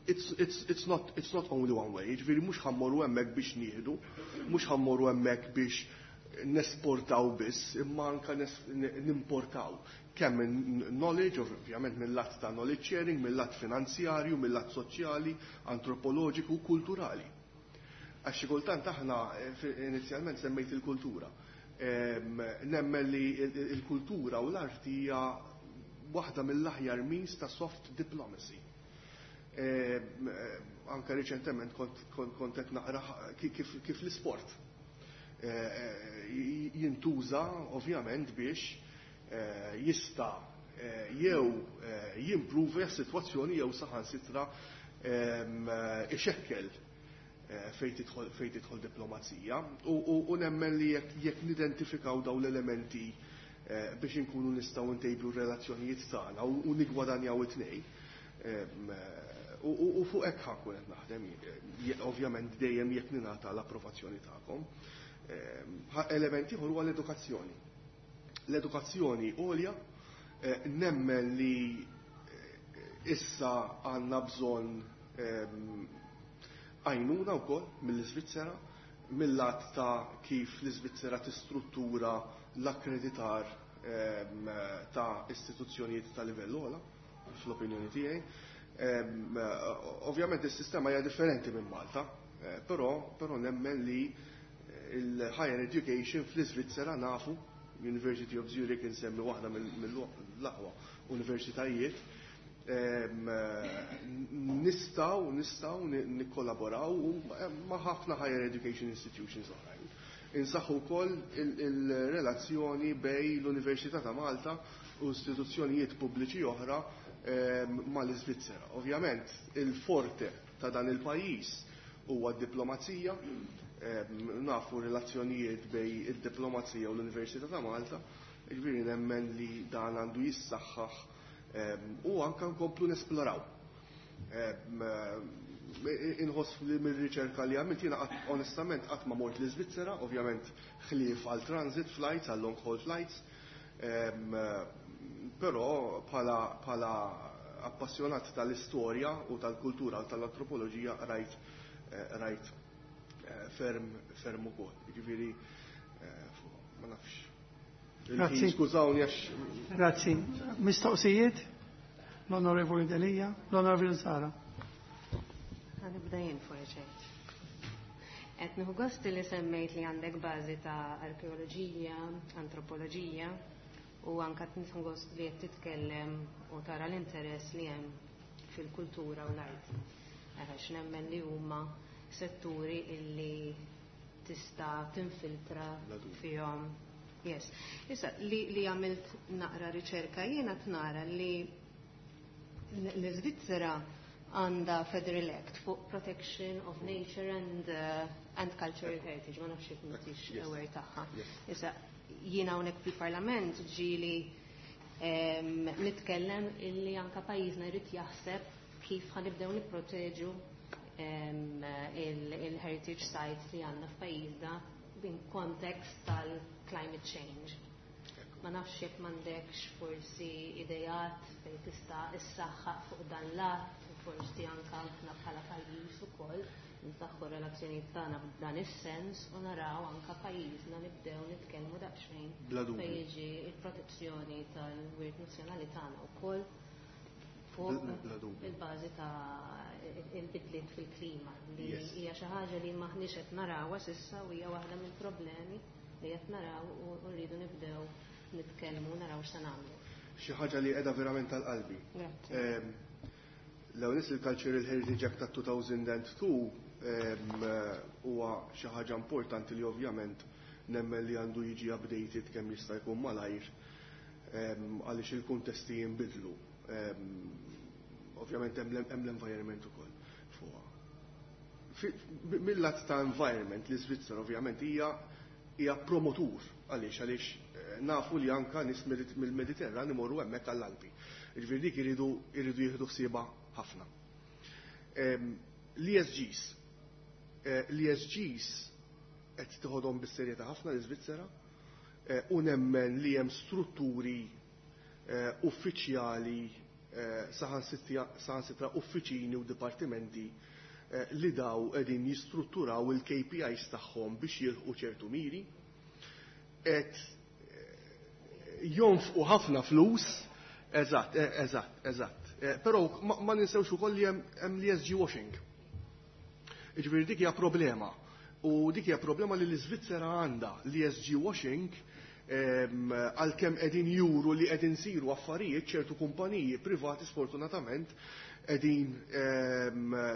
S5: It's, it's, it's, not, it's not only one way. Ġifieri mhux ħa mmorru hemmhekk biex nieħdu, mhux ħa mmorru hemmhekk biex nesportaw biss, imma anka nimportaw. Kemm knowledge, ovvjament mill-lat ta' knowledge sharing, mill-lat finanzjarju, mill-lat soċjali, antropoloġiku, kulturali. Għax xi kultant aħna inizjalment semmejt il-kultura. Nemmen li il-kultura u l-arti hija waħda mill-aħjar means ta' soft diplomacy. Anka riċentement kont qed naqra kif l-isport jintuża ovvjament biex jista' jew jimpruvi s-sitwazzjoni jew saħansitra ixekkel fejn tidħol diplomazija. U nemmen li jekk nidentifikaw dawn l-elementi biex inkunu nistgħu ntejbu r-relazzjonijiet tagħna u nigwadanjaw it-tnejn. U fuq hekk ħa nkun qed naħdem, ovvjament dejjem jekk ningħata l-approvazzjoni tagħkom. Element ieħor huwa l-edukazzjoni. L-edukazzjoni għolja, nemmen li issa għandna bżonn għajnuna wkoll mill-Iżvizzera, mill-lat ta' kif l-Iżvizzera tistruttura l-akkreditar ta' istituzzjonijiet ta' livell ogħla, fl-opinjoni tiegħi. Ovvjament is-sistema hija differenti minn Malta, però però nemmen li il-higher education fl-Iżvizzera nafu, University of Zurich insemmi waħda mill-aqwa universitajiet, nistgħu nistgħu nikkollaboraw ma' ħafna higher education institutions oħrajn. Insaħħu wkoll il-relazzjoni bejn l-Università ta' Malta u istituzzjonijiet pubbliċi oħra mal-Iżvizzera. Ovvjament, il-forte ta' dan il-pajjiż huwa d-diplomazija, nafu relazzjonijiet bejn id-diplomazija u l-Università ta' Malta, jiġifieri nemmen li dan għandu jissaħħaħ u anka nkomplu nesploraw. Inħoss li mir-riċerka li għamilt jiena onestament qatt ma mort l-Iżvizzera, ovvjament ħlief għal transit flights, għal long haul flights, però bħala appassjonat tal-istorja u tal-kultura u tal-antropoloġija rajt rajt ferm ferm ukoll. Jiġifieri ma nafx.
S1: Grazzi.
S5: Skużawni għax.
S1: Grazzi. Mistoqsijiet? L-Onorevoli Delia, l-Onorevoli Sara.
S6: Nibda jien forsi. Qed nieħu gost li semmejt li għandek bażi ta' arkeoloġija, antropoloġija u anke nieħu gost li qed titkellem u tara l-interess li hemm fil-kultura u l-arti. Għax nemmen li huma setturi illi tista' tinfiltra fihom. Yes. Issa, li, li għamilt naqra riċerka jiena tnara li l-Svizzera għandha Federal Act fuq Protection of Nature and, uh, and Cultural Heritage, ma nafx jekk m'intix aware tagħha. Issa, jiena hawnhekk fil-Parlament ġieli nitkellem illi anka pajjiżna jrid jaħseb kif ħa nibdew nipproteġu il-heritage sites li għandna f'pajjiżna in context tal-climate change. Ma nafx jekk m'għandekx forsi idejat fejn tista' issaħħaq fuq dan l-att, forsi anka aħna bħala pajjiż ukoll nsaħħu relazzjonijiet tagħna b'dan is-sens u naraw anka pajjiżna nibdew nitkellmu daqsxejn fejn jiġi l-protezzjoni tal-wirt nazzjonali tagħna wkoll fuq il-bażi ta' il-bidliet fil-klima li hija xi ħaġa li m'aħniex qed narawha s'issa u hija waħda mill-problemi li qed naraw u rridu nibdew nitkellmu naraw x'se nagħmlu.
S5: Xi ħaġa li qiegħda verament tal-qalbi. L-ewwel il-Cultural Heritage Act ta' two thousand and two huwa xi ħaġa importanti li ovvjament nemmen li għandu jiġi updated kemm jista' jkun malajr, għaliex il-kuntesti jinbidlu. Ovvjament hemm l-environment ukoll fuqha. Mill-lat ta' environment, l-Iżvizzera ovvjament hija hija promotur għaliex għaliex eh, nafu li anka nies mill-Mediterran imorru hemmhekk għall-Alpi. Jiġifieri dik iridu iridu jieħdu ħsiebha ħafna. L-E S Gs. Eh, L-E S Gs qed tieħodhom bis-serjetà ħafna l-Iżvizzera eh, u nemmen li hemm strutturi uffiċjali, saħansitra uffiċini u dipartimenti li daw qegħdin jistrutturaw il-K P Is tagħhom biex jilħqu ċertu miri. Et jonfqu ħafna flus, eżatt, eżatt, eżatt. Però ma ninsewx ukoll li hemm l-E S G washing. Jiġifieri dik hija problema. U dik hija problema li l-Iżvizzera għandha l-E S G washing, għalkemm qegħdin juru li qegħdin siru affarijiet, ċertu kumpaniji privati sfortunatament qegħdin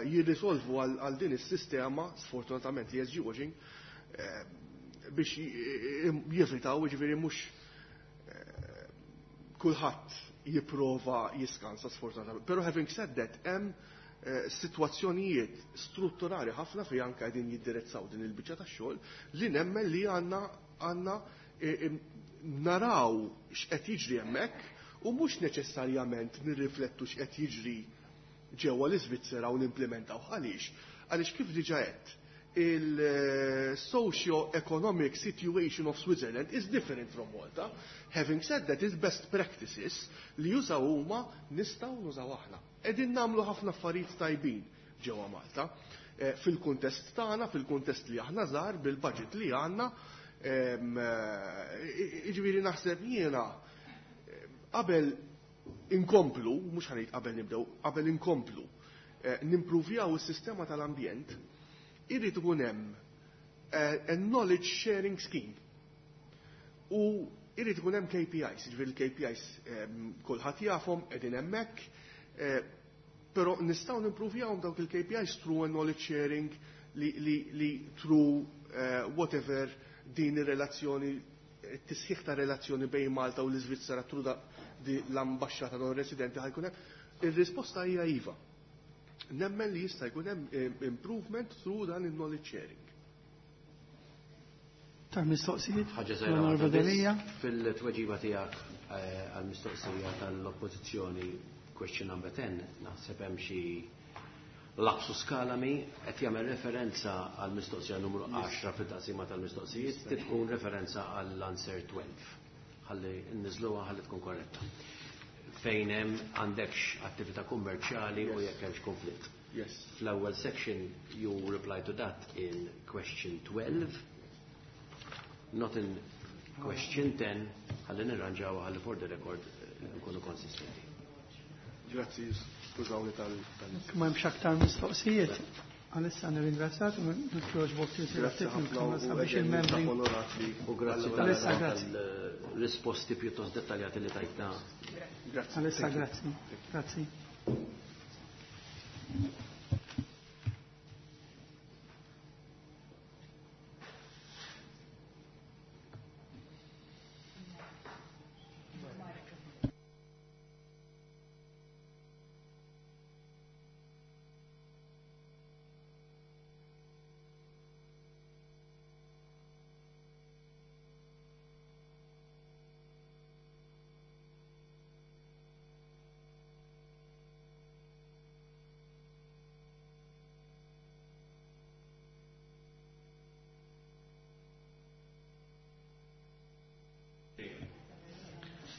S5: jirrisolvu għal din is-sistema, sfortunatament l-E S G washing, biex jevitaw, jiġifieri mhux kulħadd jipprova jiskansa sfortunatament. Però having said that, hemm situazzjonijiet strutturali ħafna fi anke qegħdin jiddirezzaw din il-biċċa tax-xogħol li nemmen li għandna għandna naraw x'qed jiġri hemmhekk u mhux neċessarjament nirriflettu x'qed jiġri ġewwa l-Iżvizzera u nimplementaw. Għaliex? Għaliex kif diġà għedt, il-socio-economic situation of Switzerland is different from Malta. Having said that, is best practices li jużaw huma nistgħu nużaw aħna. Qegħdin nagħmlu ħafna affarijiet tajbin ġewwa Malta. Fil-kuntest tagħna, fil-kuntest li aħna żgħar, bil-budget li għandna, jiġifieri naħseb jiena qabel inkomplu, mhux ħanejt qabel nibdew, qabel inkomplu, eh, nimpruvjaw is-sistema tal-ambjent, irid ikun hemm eh, a knowledge sharing scheme. U irid ikun hemm K P Is, jiġifieri l-K P Is ehm, kulħadd jafhom qegħdin hemmhekk, eh, però nistgħu nimpruvjawhom dawk il-K P Is through a knowledge sharing li, li, li through eh, whatever din ir-relazzjoni, it-tisħiħ ta' relazzjoni bejn Malta u l-Iżvizzera through da, di l-ambaxxata non residenti ħajkun hemm. Ir-risposta hija iva. Nemmen li jista' jkun hemm, eh, improvement through dan il-knowledge sharing.
S1: Tar mistoqsijiet?
S3: Ħaġa żgħira
S1: Onorevoli
S3: waħda biss.
S1: Delia.
S3: Fil-tweġiba tiegħek, eh, għall-mistoqsija tal-Oppożizzjoni question number ten, naħseb hemm xi lapsus kalami qed jagħmel referenza għall-mistoqsija numru għaxra fil-taqsima tal-mistoqsijiet, tkun referenza għall-answer twelve. Ħalli nniżluha ħalli tkun korretta. Fejn hemm għandekx attività kummerċjali u jekk hemmx konflitt.
S5: Yes.
S3: Fl-ewwel section you reply to that in question twelve, not in question ten, ħalli nirranġaw ħalli for the record nkunu konsistenti.
S5: Grazzi, skużawni tal-, tal-
S1: Ma hemmx aktar mistoqsijiet. Għalissa nirringrazzjak, nitloġbok
S5: Grazzi
S1: tirtiratik
S5: ħafna
S1: il-kamra
S5: u
S1: sabiex
S5: again,
S1: il-membri.
S5: ninsab onorat li
S3: U grazzi
S5: għal-
S1: Għalissa, grazzi.
S3: tal-risposti pjuttost dettaljati li tajtna.
S5: Grazzi.
S1: Għalissa,
S5: Thank you.
S1: grazzi. Grazzi.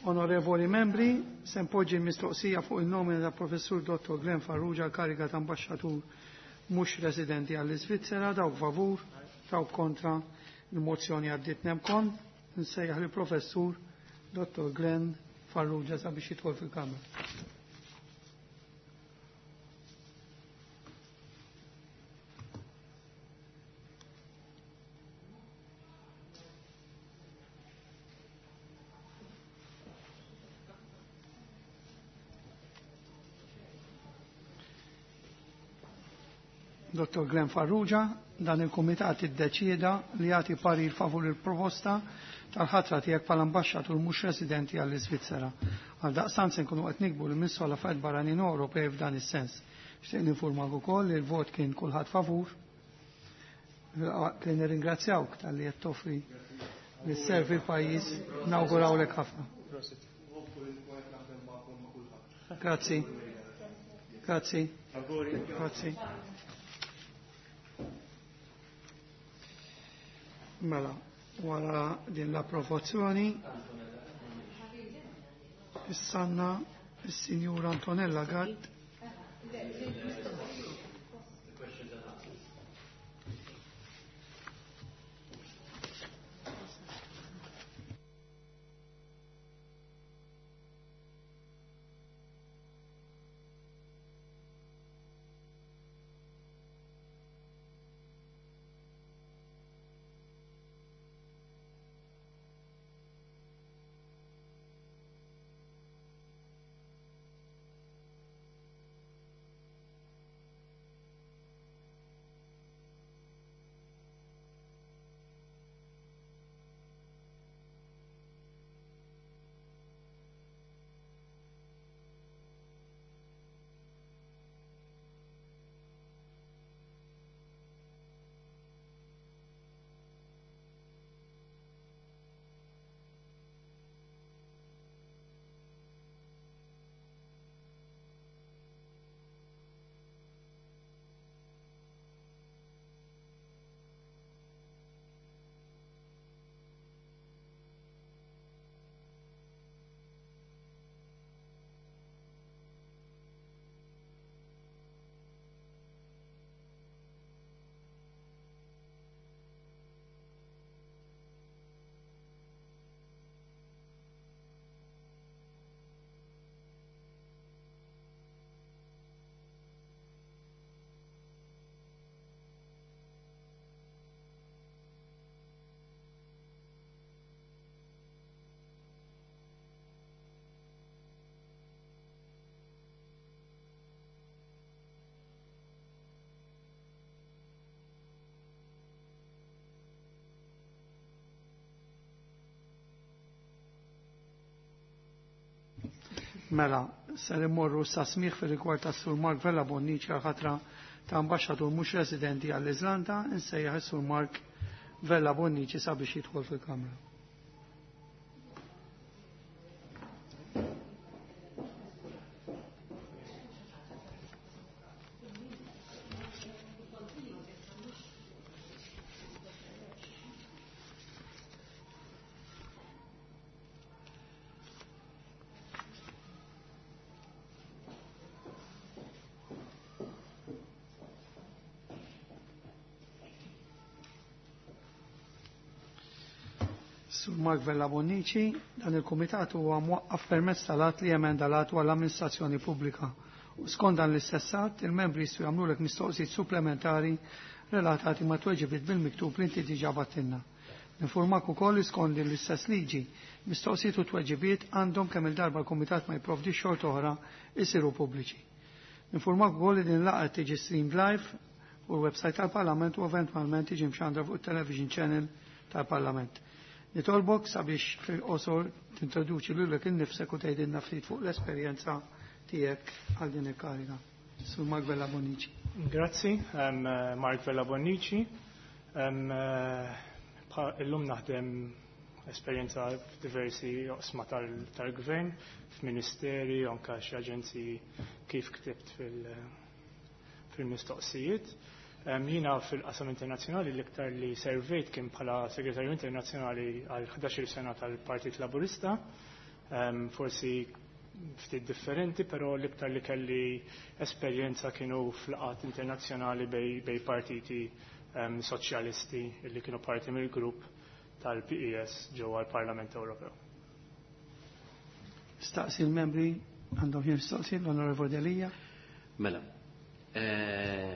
S1: Onorevoli membri, se npoġġi mistoqsija fuq il-nomina ta' Professur Dottor Glenn Farrugia għal kariga ta' ambasċatur mhux residenti għall-Iżvizzera, dawk favur, dawk kontra, il-mozzjoni għaddiet nemkon. Nsejjaħ li Professur Dottor Glenn Farrugia sabiex jidħol fil-Kamra. Dottor Glenn Farrugia, dan il-Kumitat iddeċieda li jagħti parir favur il-proposta tal-ħatra tiegħek bħala ambaxxatur mhux residenti għall-Iżvizzera. Għal daqstant se nkunu qed nikbu l-Ministru għal Affarijiet Barranin u Ewropej f'dan is-sens. Xtieq ninformak ukoll li l-vot kien kulħadd favur. Li nirringrazzjawk talli qed toffri li sservi l-pajjiż, nawgurawlek ħafna. Grazzi. Grazzi. Grazzi. Mela, wara din l-approvazzjoni, issanna is-Sinjura Antonella Gatt. Mela, ser immorru sa smigħ fir-rigward tas-Sur Mark Vella Bonnici għal ħatra ta' ambaxxatur mhux residenti għall-Iżlanda, insejjaħ is-Sur Mark Vella Bonnici sabiex jidħol fil-Kamra. Sur Mark Vella Bonnici, dan il-Kumitat huwa mwaqqaf permezz tal-att li emenda l-att dwar l-amministrazzjoni pubblika. U skont dan l-istess att, il-membri jistgħu jagħmlulek mistoqsijiet supplementari relatati ma' tweġibiet bil-miktub li inti diġà battilna. Ninformak ukoll li skont din l-istess liġi, mistoqsijiet u tweġibiet għandhom kemm il-darba l-Kumitat ma jipprovdix xorta oħra isiru pubbliċi. Ninformak ukoll li din laqgħa tiġi streamed live u l-website tal-Parlament u eventwalment tiġi mxandra fuq it-television channel tal-Parlament. Nitolbok sabiex fil-qosor tintroduċi lilek innifsek u tgħidilna ftit fuq l-esperjenza tiegħek għal din il-kariga. Sur Mark Vella Bonnici.
S7: Grazzi, um, Mark Vella Bonnici. Um, illum naħdem esperjenza f'diversi oqsma tal-gvern, f'ministeri, anke xi aġenziji kif ktibt fil-mistoqsijiet. Jiena fil-qasam internazzjonali l-iktar li servejt kien bħala segretarju internazzjonali għal ħdax-il sena tal-Partit Laburista, forsi ftit differenti, però l-iktar li kelli esperjenza kienu fl-qat internazzjonali bej, bej partiti um, soċjalisti li kienu parti mill-grupp tal-P E S ġewwa l-Parlament Ewropew.
S1: Staqsi l-membri għandhom xi mistoqsijiet, l-Onorevoli Delia.
S3: Mela. Eh,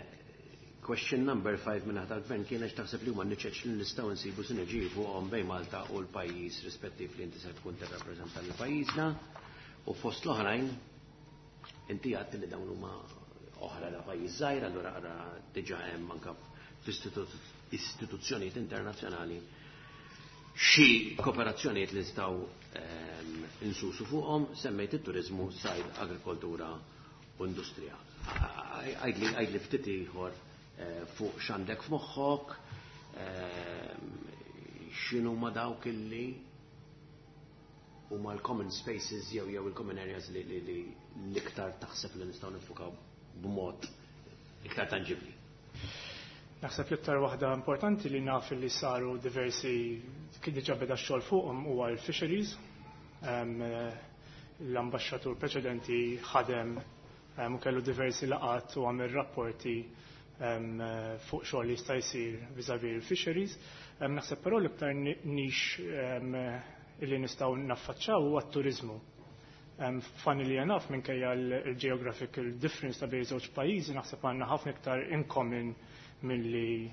S3: Question number five minn ħadd tal-gvern kienet taħseb li huma niċeċ li nistgħu nsibu sinerġiji fuqhom bejn Malta u l-pajjiż rispettiv li inti se tkun tirrappreżenta lil pajjiżna u fost l-oħrajn inti għedt li dawn huma oħra la pajjiż żgħir, allura ara diġà hemm anke f'istituzzjonijiet internazzjonali xi kooperazzjonijiet li nistgħu insusu fuqhom, semmejt it-turiżmu, sajd, agrikoltura u industrija. Għajdli għajdli ftit ieħor fuq x'għandek f'moħħok, x'inhu ma dawk illi huma l-common spaces jew jew il-common areas li li l-iktar taħseb li nistgħu nifukaw b'mod iktar tanġibli.
S7: Naħseb l-iktar waħda importanti li naf li saru diversi kien diġà beda x-xogħol fuqhom huwa l-fisheries. L-ambaxxatur preċedenti ħadem u kellu diversi laqat u għamel rapporti fuq xogħol li jista' jsir vis-à-vis il-fisheries. Naħseb però l-iktar nix li nistgħu naffaċċaw huwa t-turiżmu. Funnily enough, minkejja l-geographical difference ta' bejn żewġ pajjiżi, naħseb għandna ħafna iktar in common milli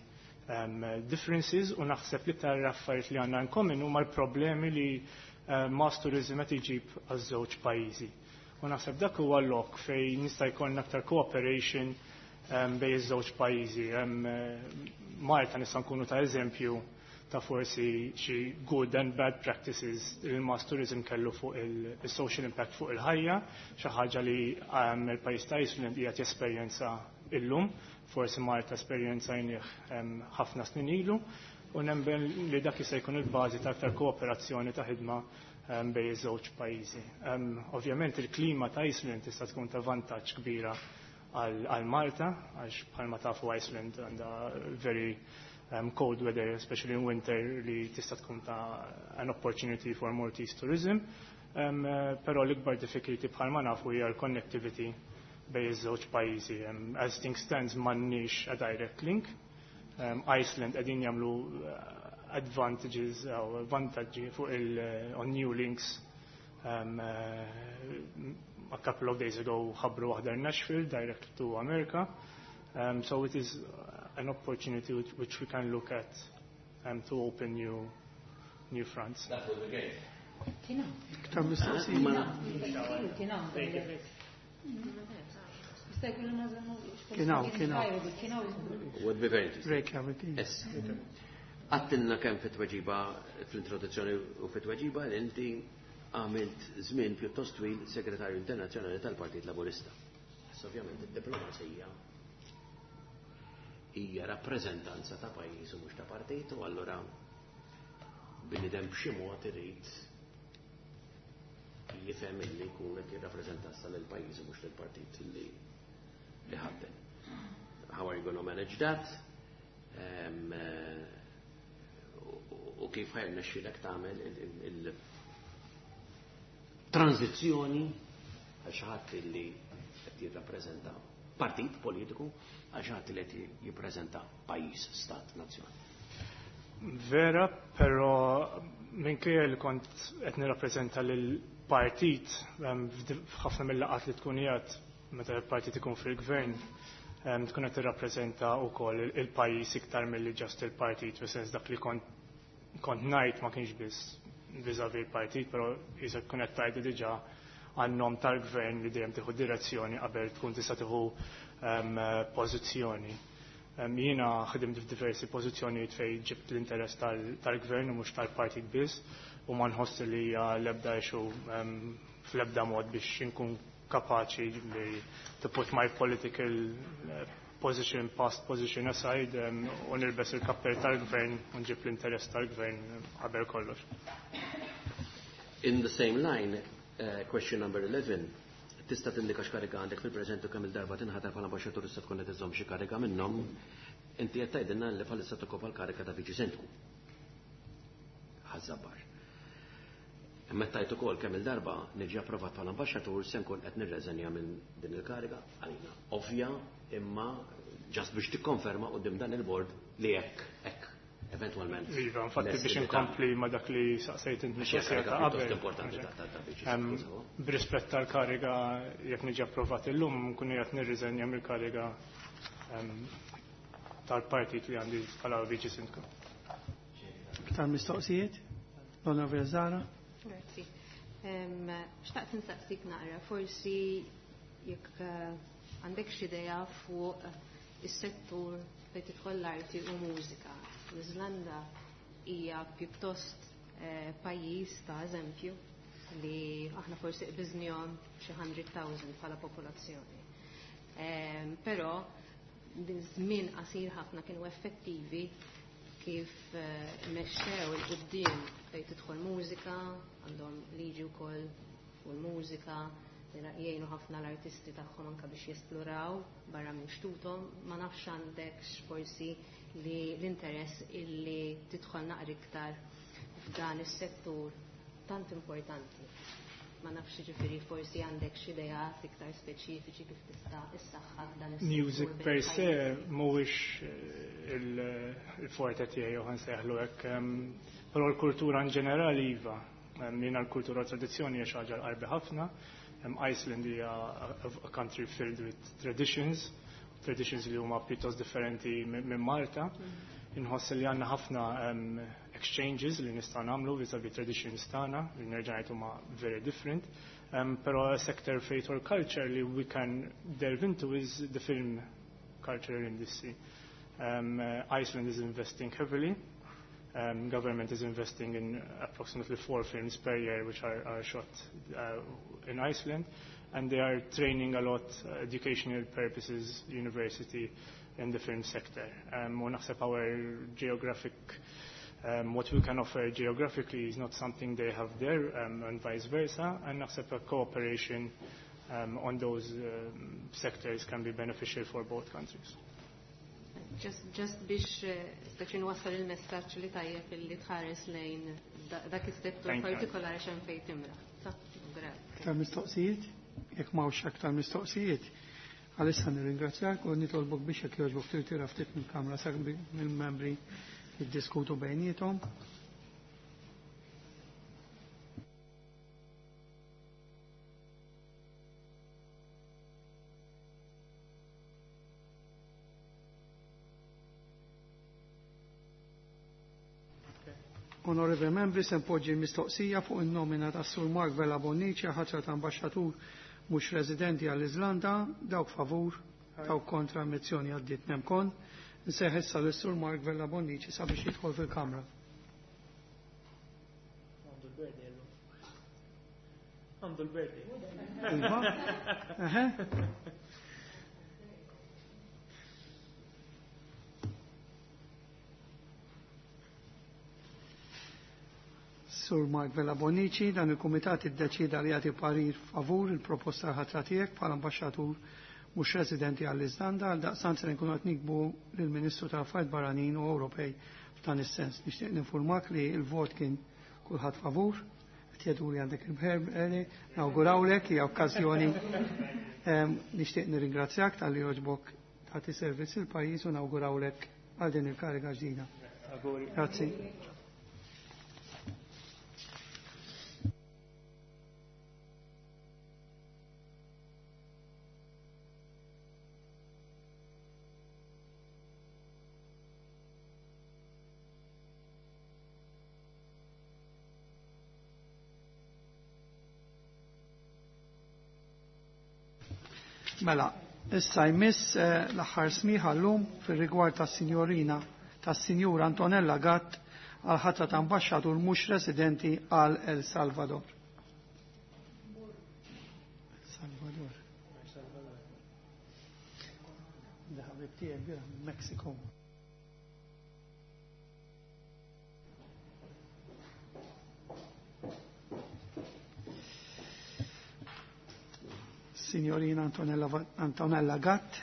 S7: differences, u naħseb l-iktar affarijiet li għandna in common huma l-problemi li mass tourism qed iġib għaż-żewġ pajjiżi. U naħseb dak huwa lok fejn nista' jkollna aktar cooperation bejn iż-żewġ pajjiżi. Malta nista' nkunu ta' eżempju ta' forsi xi good and bad practices li l-mass tourism kellu fuq il-social impact fuq il-ħajja, xi ħaġa li il-pajjiż ta' Iceland qiegħed jesperjenza illum, forsi Malta esperjenzajnieh ħafna snin ilu, u nemmen li dak jista' jkun il-bażi ta' aktar kooperazzjoni ta' ħidma bejn iż-żewġ pajjiżi. Ovvjament il-klima ta' Iceland tista' tkun ta' vantaġġ kbira għal Malta, għax bħalma tafu Iceland għandha very um, cold weather, especially in winter, li tista' tkun ta' an opportunity for Maltese tourism. Um, però l-ikbar difficulty bħalma nafu hija l-connectivity bejn iż-żewġ pajjiżi. Um, as things stands m'għandniex a direct link. Um, Iceland qegħdin jagħmlu advantages jew vantaġġi fuq il on new links. Um, uh, a couple of days ago ħabbru waħda Nashville direct to America. Um, so it is an opportunity which, which we can look at um, to open new, new fronts.
S3: That would be great.
S8: Kien hawn.
S1: Iktar mistoqsijiet.
S8: Kien hawn. Jista' jkun li ma żammux.
S1: Kien hawn, kien hawn.
S8: Kien hawn.
S3: Would be very interesting.
S1: Reykjavik.
S3: Yes. Għattilna kemm fit-tweġiba fl-introduzzjoni u fit-tweġiba li inti għamilt żmien pjuttost twil segretarju internazzjonali tal-Partit Laburista. Issa ovvjament id-diplomazija hija rappreżentanza ta' pajjiż u mhux ta' partit, u allura bniedem b'xi mod irid jifhem illi jkun qed jirrappreżentassa lil pajjiż u mhux lill-partit li li ħaddem. How are you gonna manage that? Um, u kif ħa jirnexxilek tagħmel il-tranzizzjoni għal xi ħadd li qed jirrappreżenta partit politiku għal xi ħadd li qed jippreżenta pajjiż, stat, nazzjon.
S7: Vera, però minkejja li kont qed nirrappreżenta lil partit f'ħafna mill-laqgħat li tkun qiegħed meta l-partit ikun fil-gvern, tkun qed tirrappreżenta wkoll il-pajjiż iktar milli just il-partit, fis-sens dak li kont kont ngħid ma kienx biss vis-à-vis il-partit, però jisa tkun qed tgħidu diġà għan-nom tal-gvern li dejjem tieħu direzzjoni qabel tkun tista' tieħu pożizzjoni. Jiena ħdimt f'diversi pożizzjonijiet fejn ġibt l-interess tal-gvern u mhux tal-partit biss, u ma nħoss li hija l-ebda issue fl-ebda mod biex inkun kapaċi li to put my political position, past position aside, u nilbes il-kappell tal-gvern u nġib l-interess tal-gvern qabel kollox.
S3: In the same line, uh, question number eleven, tista' tindika x'kariga għandek fil-preżent u kemm il-darba tinħatar bħala ambaxxatur tista' tkun qed iżżomm xi kariga minnhom, inti qed tgħidilna li bħalissa tokkopa l-kariga ta' viċi sindku. Ħaż-Żabbar. Imma tajt ukoll kemm il-darba niġi approvat bħala ambaxxatur se nkun qed nirreżenja minn din il-kariga għalina. Ovvja, imma just biex tikkonferma quddiem dan il-bord li hekk hekk eventwalment.
S7: Iva, infatti biex inkompli ma dak li saqsejt int mistoqsija ta' qabel.
S3: Importanti ta' ta' viċi.
S7: B'rispett tal-kariga jekk niġi approvat illum nkun qed nirriżenja mill-kariga tal-partit li għandi bħala viċi sindku.
S1: Iktar mistoqsijiet? L-Onorevoli Zahra?
S6: Grazzi. Xtaqt nsaqsik naqra, forsi jekk għandek xi idea fuq is-settur fejn tidħol l-arti u mużika. L-Iżlanda hija pjuttost pajjiż ta' eżempju li aħna forsi qbiżnihom xi hundred thousand bħala popolazzjoni. Però żmien qasir ħafna kienu effettivi kif mexxew il-quddiem fejn tidħol mużika, għandhom liġi wkoll fuq il-mużika, jgħinu ħafna l-artisti tagħhom anke biex jesploraw barra minn xtuthom. Ma nafx għandekx forsi li l-interess illi tidħol naqra iktar f'dan is-settur tant importanti. Ma nafx ġifieri forsi għandek xi ideat iktar speċifiċi kif tista' issaħħaħ dan is-settur.
S7: Music per se mhuwiex il-forte tiegħi jew nsejħlu hekk, però l-kultura in ġenerali iva. Jiena l-kultura u tradizzjoni hija xi ħaġa l-qarbi ħafna. Iceland hija a country filled with traditions, traditions li huma pjuttost differenti minn Malta. Inħoss li għandna ħafna exchanges li nistgħu nagħmlu vis-a-vis traditions tagħna, li nerġa' ngħid huma very different. Um, però a sector faith or culture li we can delve into is the film cultural industry. Um, uh, Iceland is investing heavily. Um, government is investing in approximately four films per year which are, are shot uh, in Iceland, and they are training a lot, uh, educational purposes, university in the film sector. Um, u naħseb our geographic, um, what we can offer geographically is not something they have there, um, and vice versa, and naħseb a cooperation um, on those um, sectors can be beneficial for both countries.
S6: Just, just biex speċi nwassal il-messaġġ li tajjeb illi tħares lejn dak is-settur partikolari x'hemm fejn timra.
S1: Aktar mistoqsijiet? Jekk m'hawnx aktar mistoqsijiet, għalissa nirringrazzjak u nitolbok biex jekk jogħġbok tirtira ftit mill-kamra sa mill-membri jiddiskutu bejniethom. Onorevoli membri, se npoġġi mistoqsija fuq in-nomina tas Sur Mark Vella Bonnici ħatra ta' ambaxxatur mhux residenti għall-Iżlanda, dawk favur, dawk kontra, mozzjoni għaddiet nemkon. Nseħ issa lis Sur Mark Vella Bonnici sabiex jidħol fil-Kamra.
S7: Għandu l-birthday.
S1: Iva. Eħe. Sur Mark Vella Bonnici, dan il-Kumitat iddeċida li jagħti parir favur il-proposta ħatra tiegħek bħala ambaxxatur mhux residenti għall-Iżlanda, għal daqstant se nkunu qed nikbu lill-Ministru tal-Affarijiet Barranin u Ewropej f'dan is-sens. Nixtieq ninfurmak li l-vot kien kulħadd favur, qed jgħidu li għandek il-bħer, nawgurawlek hija okkażjoni. Nixtieq nirringrazzjak talli jogħġbok tagħti servizz il-pajjiż u nawgurawlek għal din il-kariga ġdida. Grazzi. Mela, issa jmiss eh, l-aħħar smigħ llum fir-rigward tas-sinjorina tas-Sinjura Antonella Gatt għal ħatra ta' ambaxxatur mhux residenti għal El Salvador. El Salvador. Ħabib tiegħi Mexico. Signorina Antonella, Antonella Gatt,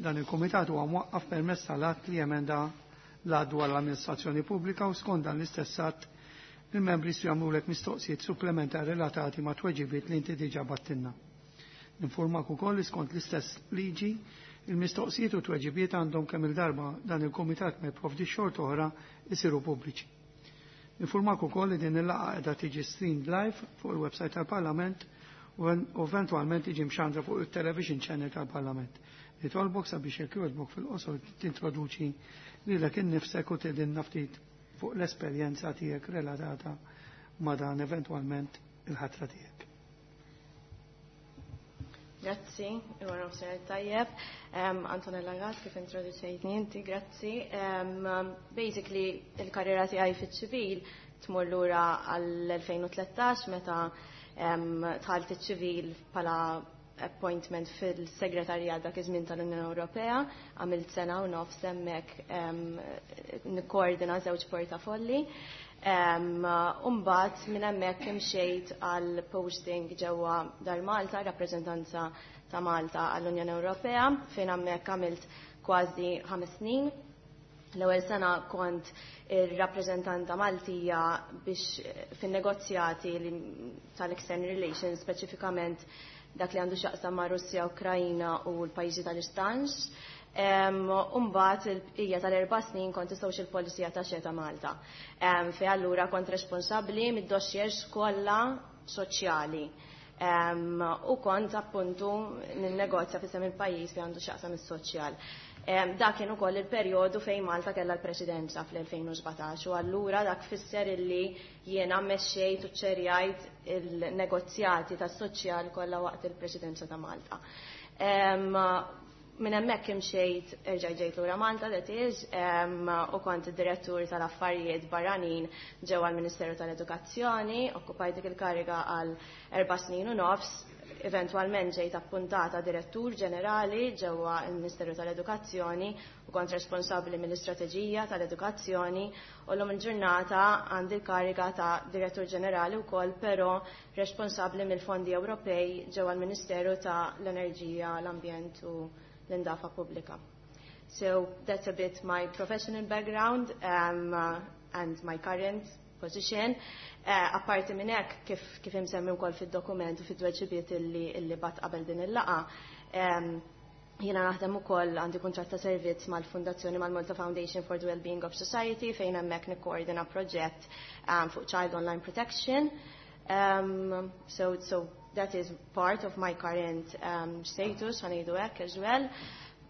S1: dan il-Komitat huwa mwaqqaf permezz tal-att li emenda l-att dwar l-amministrazzjoni pubblika u skont dan l-istess att il-membri jistgħu jagħmlulek mistoqsijiet supplementari relatati ma' tweġibiet li inti diġà battilna. Ninformak ukoll li skont l-istess liġi il-mistoqsijiet u tweġibiet għandhom kemm il-darba dan il-Kumitat ma jipprovdi xorta oħra isiru pubbliċi. Ninformak ukoll li din il-laqgħa qiegħda tiġi streamed live fuq il-website tal-Parlament u eventwalment tiġi mxandra fuq il-television channel tal-Parlament. Nitolbok sabiex jekk jogħġbok fil-qosor tintroduċi lilek innifsek u tgħidilna ftit fuq l-esperjenza tiegħek relatata ma' dan eventwalment il-ħatra tiegħek.
S9: Grazzi, il-wara nofsinhar tajjeb. Antonella Gatt, kif introduċejtni inti, grazzi. Um, basically, il-karriera tiegħi fiċ-ċivil tmur lura għall-elfejn u tlettax meta dħalt iċ-ċivil bħala appointment fil-segretarjat dak iż-żmien tal-Unjoni Ewropea, għamilt sena u nofs hemmhekk nikkoordina żewġ portafolli. U mbagħad minn hemmhekk imxejt għal posting ġewwa Dar Malta, rappreżentanza ta' Malta għall-Unjoni Ewropea, fejn hemmhekk għamilt kważi ħames snin. L-ewwel sena kont ir-rappreżentanta Maltija biex fin-negozjati tal-External Relations, speċifikament dak li għandu x'jaqsam ma' Russja, Ukrajna u l-pajjiżi tal-Istanx. U mbagħad il-bqija tal-erba' snin kont is-Social Policy Attaché ta' Malta. Fejn allura kont responsabbli mid-dossiers kollha soċjali. U kont appuntu ninnegozja f'isem il-pajjiż li għandu x'jaqsam is-soċjal. Dak kien ukoll il-perjodu fejn Malta kellha l-presidenza fl-elfejn u sbatax u allura dak fisser illi jiena mmexxejt u ċerjajt il-negozjati tas-soċjal kollha waqt il-presidenza ta' Malta. Minn hemmhekk imxejt erġa' ġejt lura Malta, that is, u kont id-direttur tal-affarijiet barranin ġewwa l-Ministeru tal-Edukazzjoni, okkupajt dik il-kariga għal erba' snin u nofs. Eventwalment ġejt appuntata direttur ġenerali ġewwa l-Ministeru tal-Edukazzjoni u kont responsabbli mill-istrateġija tal-edukazzjoni u llum il-ġurnata għandi l-kariga ta' direttur ġenerali wkoll, però responsabbli mill-fondi Ewropej ġewwa l-Ministeru tal-Enerġija, l-Ambjent u l-Indafa Pubblika. So that's a bit my professional background um, uh, and my current position. Uh, apparti minn hekk, kif, kif imsemmi wkoll fid-dokument u fid-tweġibiet illi, illi bat qabel din il-laqgħa, um, jiena naħdem ukoll għandi kuntratt ta' servizz mal-Fundazzjoni mal-Malta Foundation for the Wellbeing of Society fejn hemmhekk nikkoordina proġett um, fuq Child Online Protection. Um, so, so that is part of my current um, status, ħanejdu hekk as well.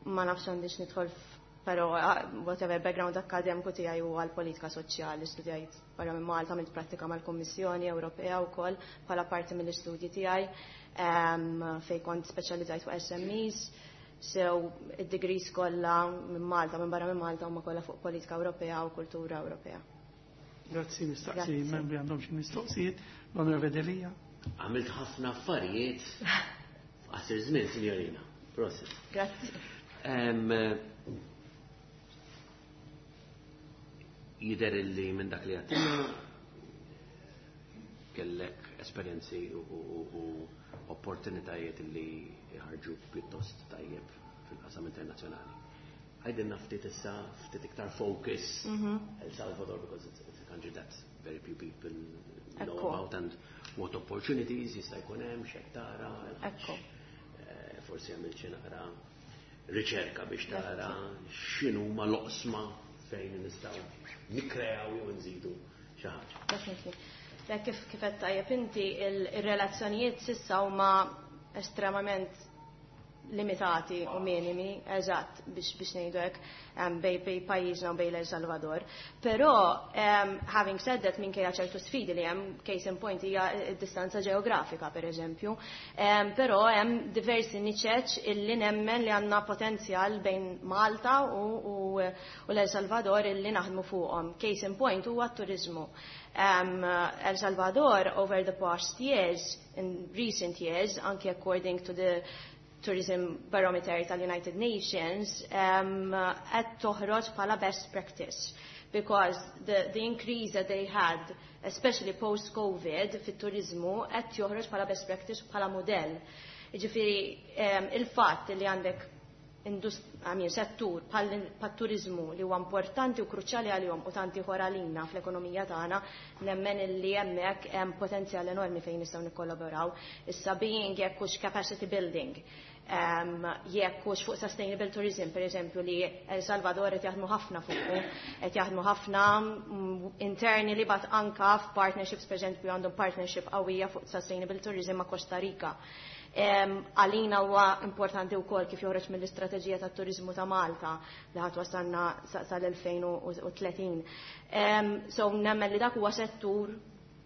S9: Ma nafx għandix nidħol però whatever background akademiku tiegħi huwa l-politika soċjali, studjajt barra minn Malta, għamilt prattika mal-Kummissjoni Ewropea wkoll bħala parti mill-istudji tiegħi um, fejn kont speċjalizzajt fuq S M Es. So id-degrees kollha minn Malta, minn barra minn Malta huma kollha fuq politika Ewropea u kultura Ewropea.
S1: Grazzi, nistaqsi membri għandhom xi mistoqsijiet. L-Onorevoli Delia.
S3: Għamilt ħafna affarijiet f'qasir żmien, signorina. Prosit.
S9: Grazzi.
S3: Jidher illi minn dak li għedtilna kellek esperjenzi u opportunitajiet li ħarġu pjuttost tajjeb fil-qasam internazzjonali. Għidilna ftit issa, ftit iktar focus El Salvador, because it's, it's a country that very few people know about, and what opportunities jista' jkun hemm, x'qed tara.
S9: Ekku.
S3: Forsi għamilt xi naqra riċerka biex tara x'inhuma l-oqsma fejn nistgħu nikkreaw jew nżidu xi ħaġa.
S9: Definitely. Kif kif qed tajjeb inti, il-relazzjonijiet s'issa huma estremament limitati u minimi, eżatt, biex biex ngħidu hekk, bej bej pajjiżna u bej El Salvador. Però um, having said that, minkejja ċertu sfidi li hemm, case in point hija d-distanza ġeografika pereżempju, um, però hemm diversi niċeċ illi nemmen li għandna potenzjal bejn Malta u, u, u l-El Salvador illi naħdmu fuqhom. Case in point huwa t-turizmu. Um, El Salvador over the past years, in recent years, anke according to the Tourism Barometer tal-United Nations, qed um, toħroġ bħala best practice, because the, the increase that they had, especially post-COVID, fit-turizmu, qed joħroġ bħala best practice, bħala modell. Jiġifieri, um, il-fatt li għandek I mean, settur bħat-turizmu li huwa importanti u kruċjali għalihom u tanti ieħor għalina fl-ekonomija tagħna, nemmen li hemmhekk hemm potenzjal enormi fejn nistgħu nikkollaboraw. Issa being jekk hux capacity building, um, jekk hux fuq sustainable tourism, per eżempju, li El Salvador qed jaħdmu ħafna fuqu, qed jaħdmu ħafna interni li bat anka f'partnerships, per eżempju, għandhom partnership qawwija fuq sustainable tourism ma' Costa Rica. Għalina huwa importanti wkoll kif joħroġ mill-istrateġija tat-turizmu ta' Malta li ħadd wasalna sal-elfejn u tletin. So nemmen li dak huwa settur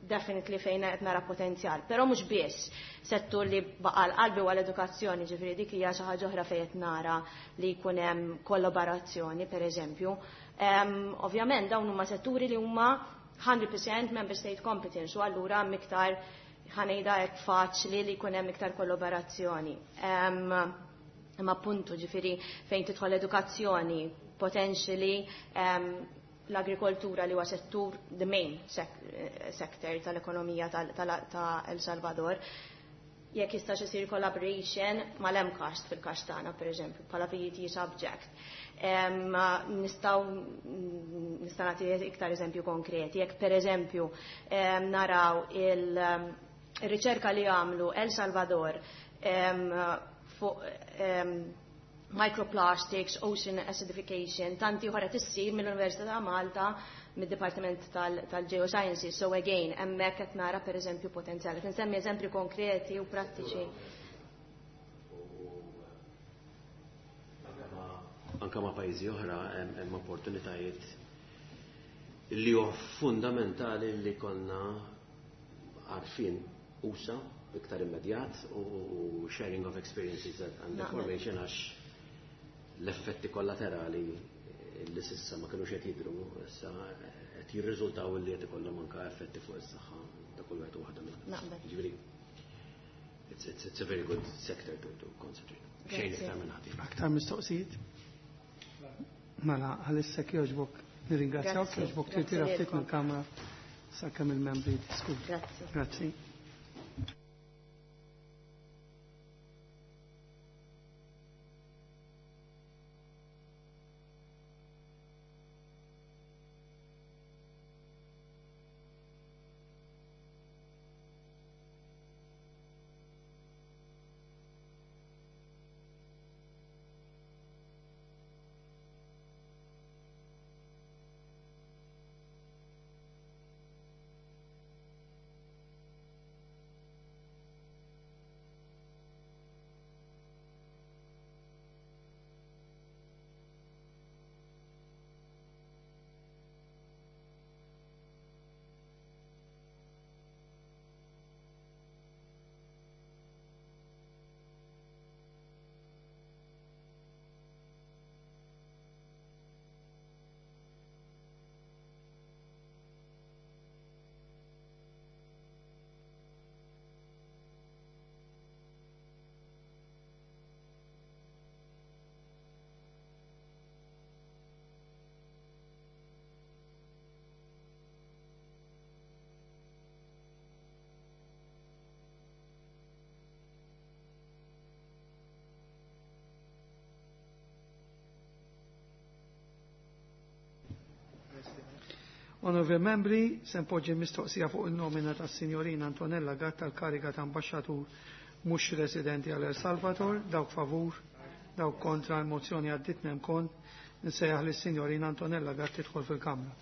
S9: definitely fejn qed nara potenzjal. Però mhux biss settur li baqa' l-qalbi huwa l-edukazzjoni, ġifieri dik hija xi ħaġa oħra fejn qed nara li jkun hemm kollaborazzjoni, pereżempju. Ovvjament dawn huma setturi li huma hundred percent member state competence, u allura hemm iktar ħanejda hekk faċli li jkun hemm iktar kollaborazzjoni. Imma appuntu ġifieri fejn tidħol edukazzjoni, potentially um, l-agrikoltura li huwa settur the main sec sector tal-ekonomija ta' El Salvador, jekk jistax isir collaboration mal-MCAST fil-każ tagħna pereżempju bħala P E T subject. Um, nistgħu nista' nagħti iktar eżempju konkreti, jekk pereżempju um, naraw il- il-riċerka li għamlu El Salvador um, fuq um, microplastics, ocean acidification, tanti oħra tissir mill-Università ta' Malta, mid-Dipartiment tal-Geosciences. So again, hemmhekk qed nara pereżempju potenzjali. Tinsemmi eżempju konkreti u prattiċi.
S3: Anka ma' pajjiżi oħra hemm opportunitajiet li huwa fundamentali li konna għarfien usa iktar immedjat u sharing of experiences and information, għax l-effetti kollaterali li s'issa ma kinux qed jidhru, issa qed jirriżultaw li qed ikollhom anke effetti fuq is-saħħa ta' kull wieħed u waħda minnha. Jiġifieri, it's, it's, it's a very good sector to, to concentrate. Xejn iktar minn ħadd.
S1: Aktar mistoqsijiet? Mela, għalissa jogħġbok nirringrazzjawk, jogħġbok tirtira ftit mill-kamra sakemm il-membri jiddiskutu.
S9: Grazzi.
S1: Grazzi. Onorevoli membri, se npoġġi mistoqsija fuq il-nomina tas-Sinjorina Antonella Gatt tal-kariga ta' ambaxxatur mhux residenti għal El Salvador, dawk favur, dawk kontra, l-mozzjoni għaddiet nem kont, nsejjaħ lis-Sinjorina Antonella Gatt tidħol fil-Kamra.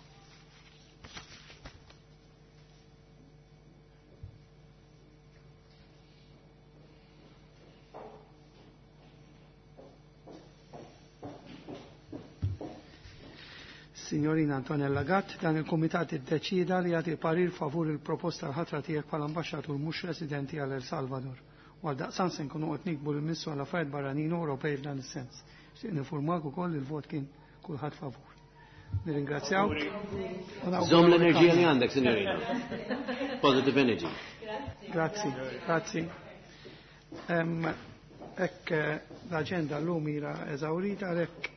S1: Signorina Antonella Gatt, dan il-Kumitat iddeċida li jagħti parir favur il-proposta l-ħatra tiegħek bħala ambaxxatur mhux residenti għal El Salvador. U għal daqsan se nkunu qed nikbu l-Ministru għal Affarijiet Barranin Ewropej f'dan is-sens. Xtieq nifurmak ukoll il-vot kien kulħadd favur. Nirringrazzjaw.
S3: Żomm l-enerġija li għandek, signorina. Positive energy.
S1: Grazzi, grazzi. Hekk l-aġenda llum hija eżawrita għalhekk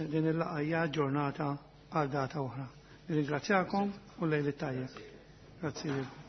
S1: din il-laqgħa hija ġurnata għal data oħra. Nirringrazzjakom u lejl it-tajjeb. Grazzi lilkom.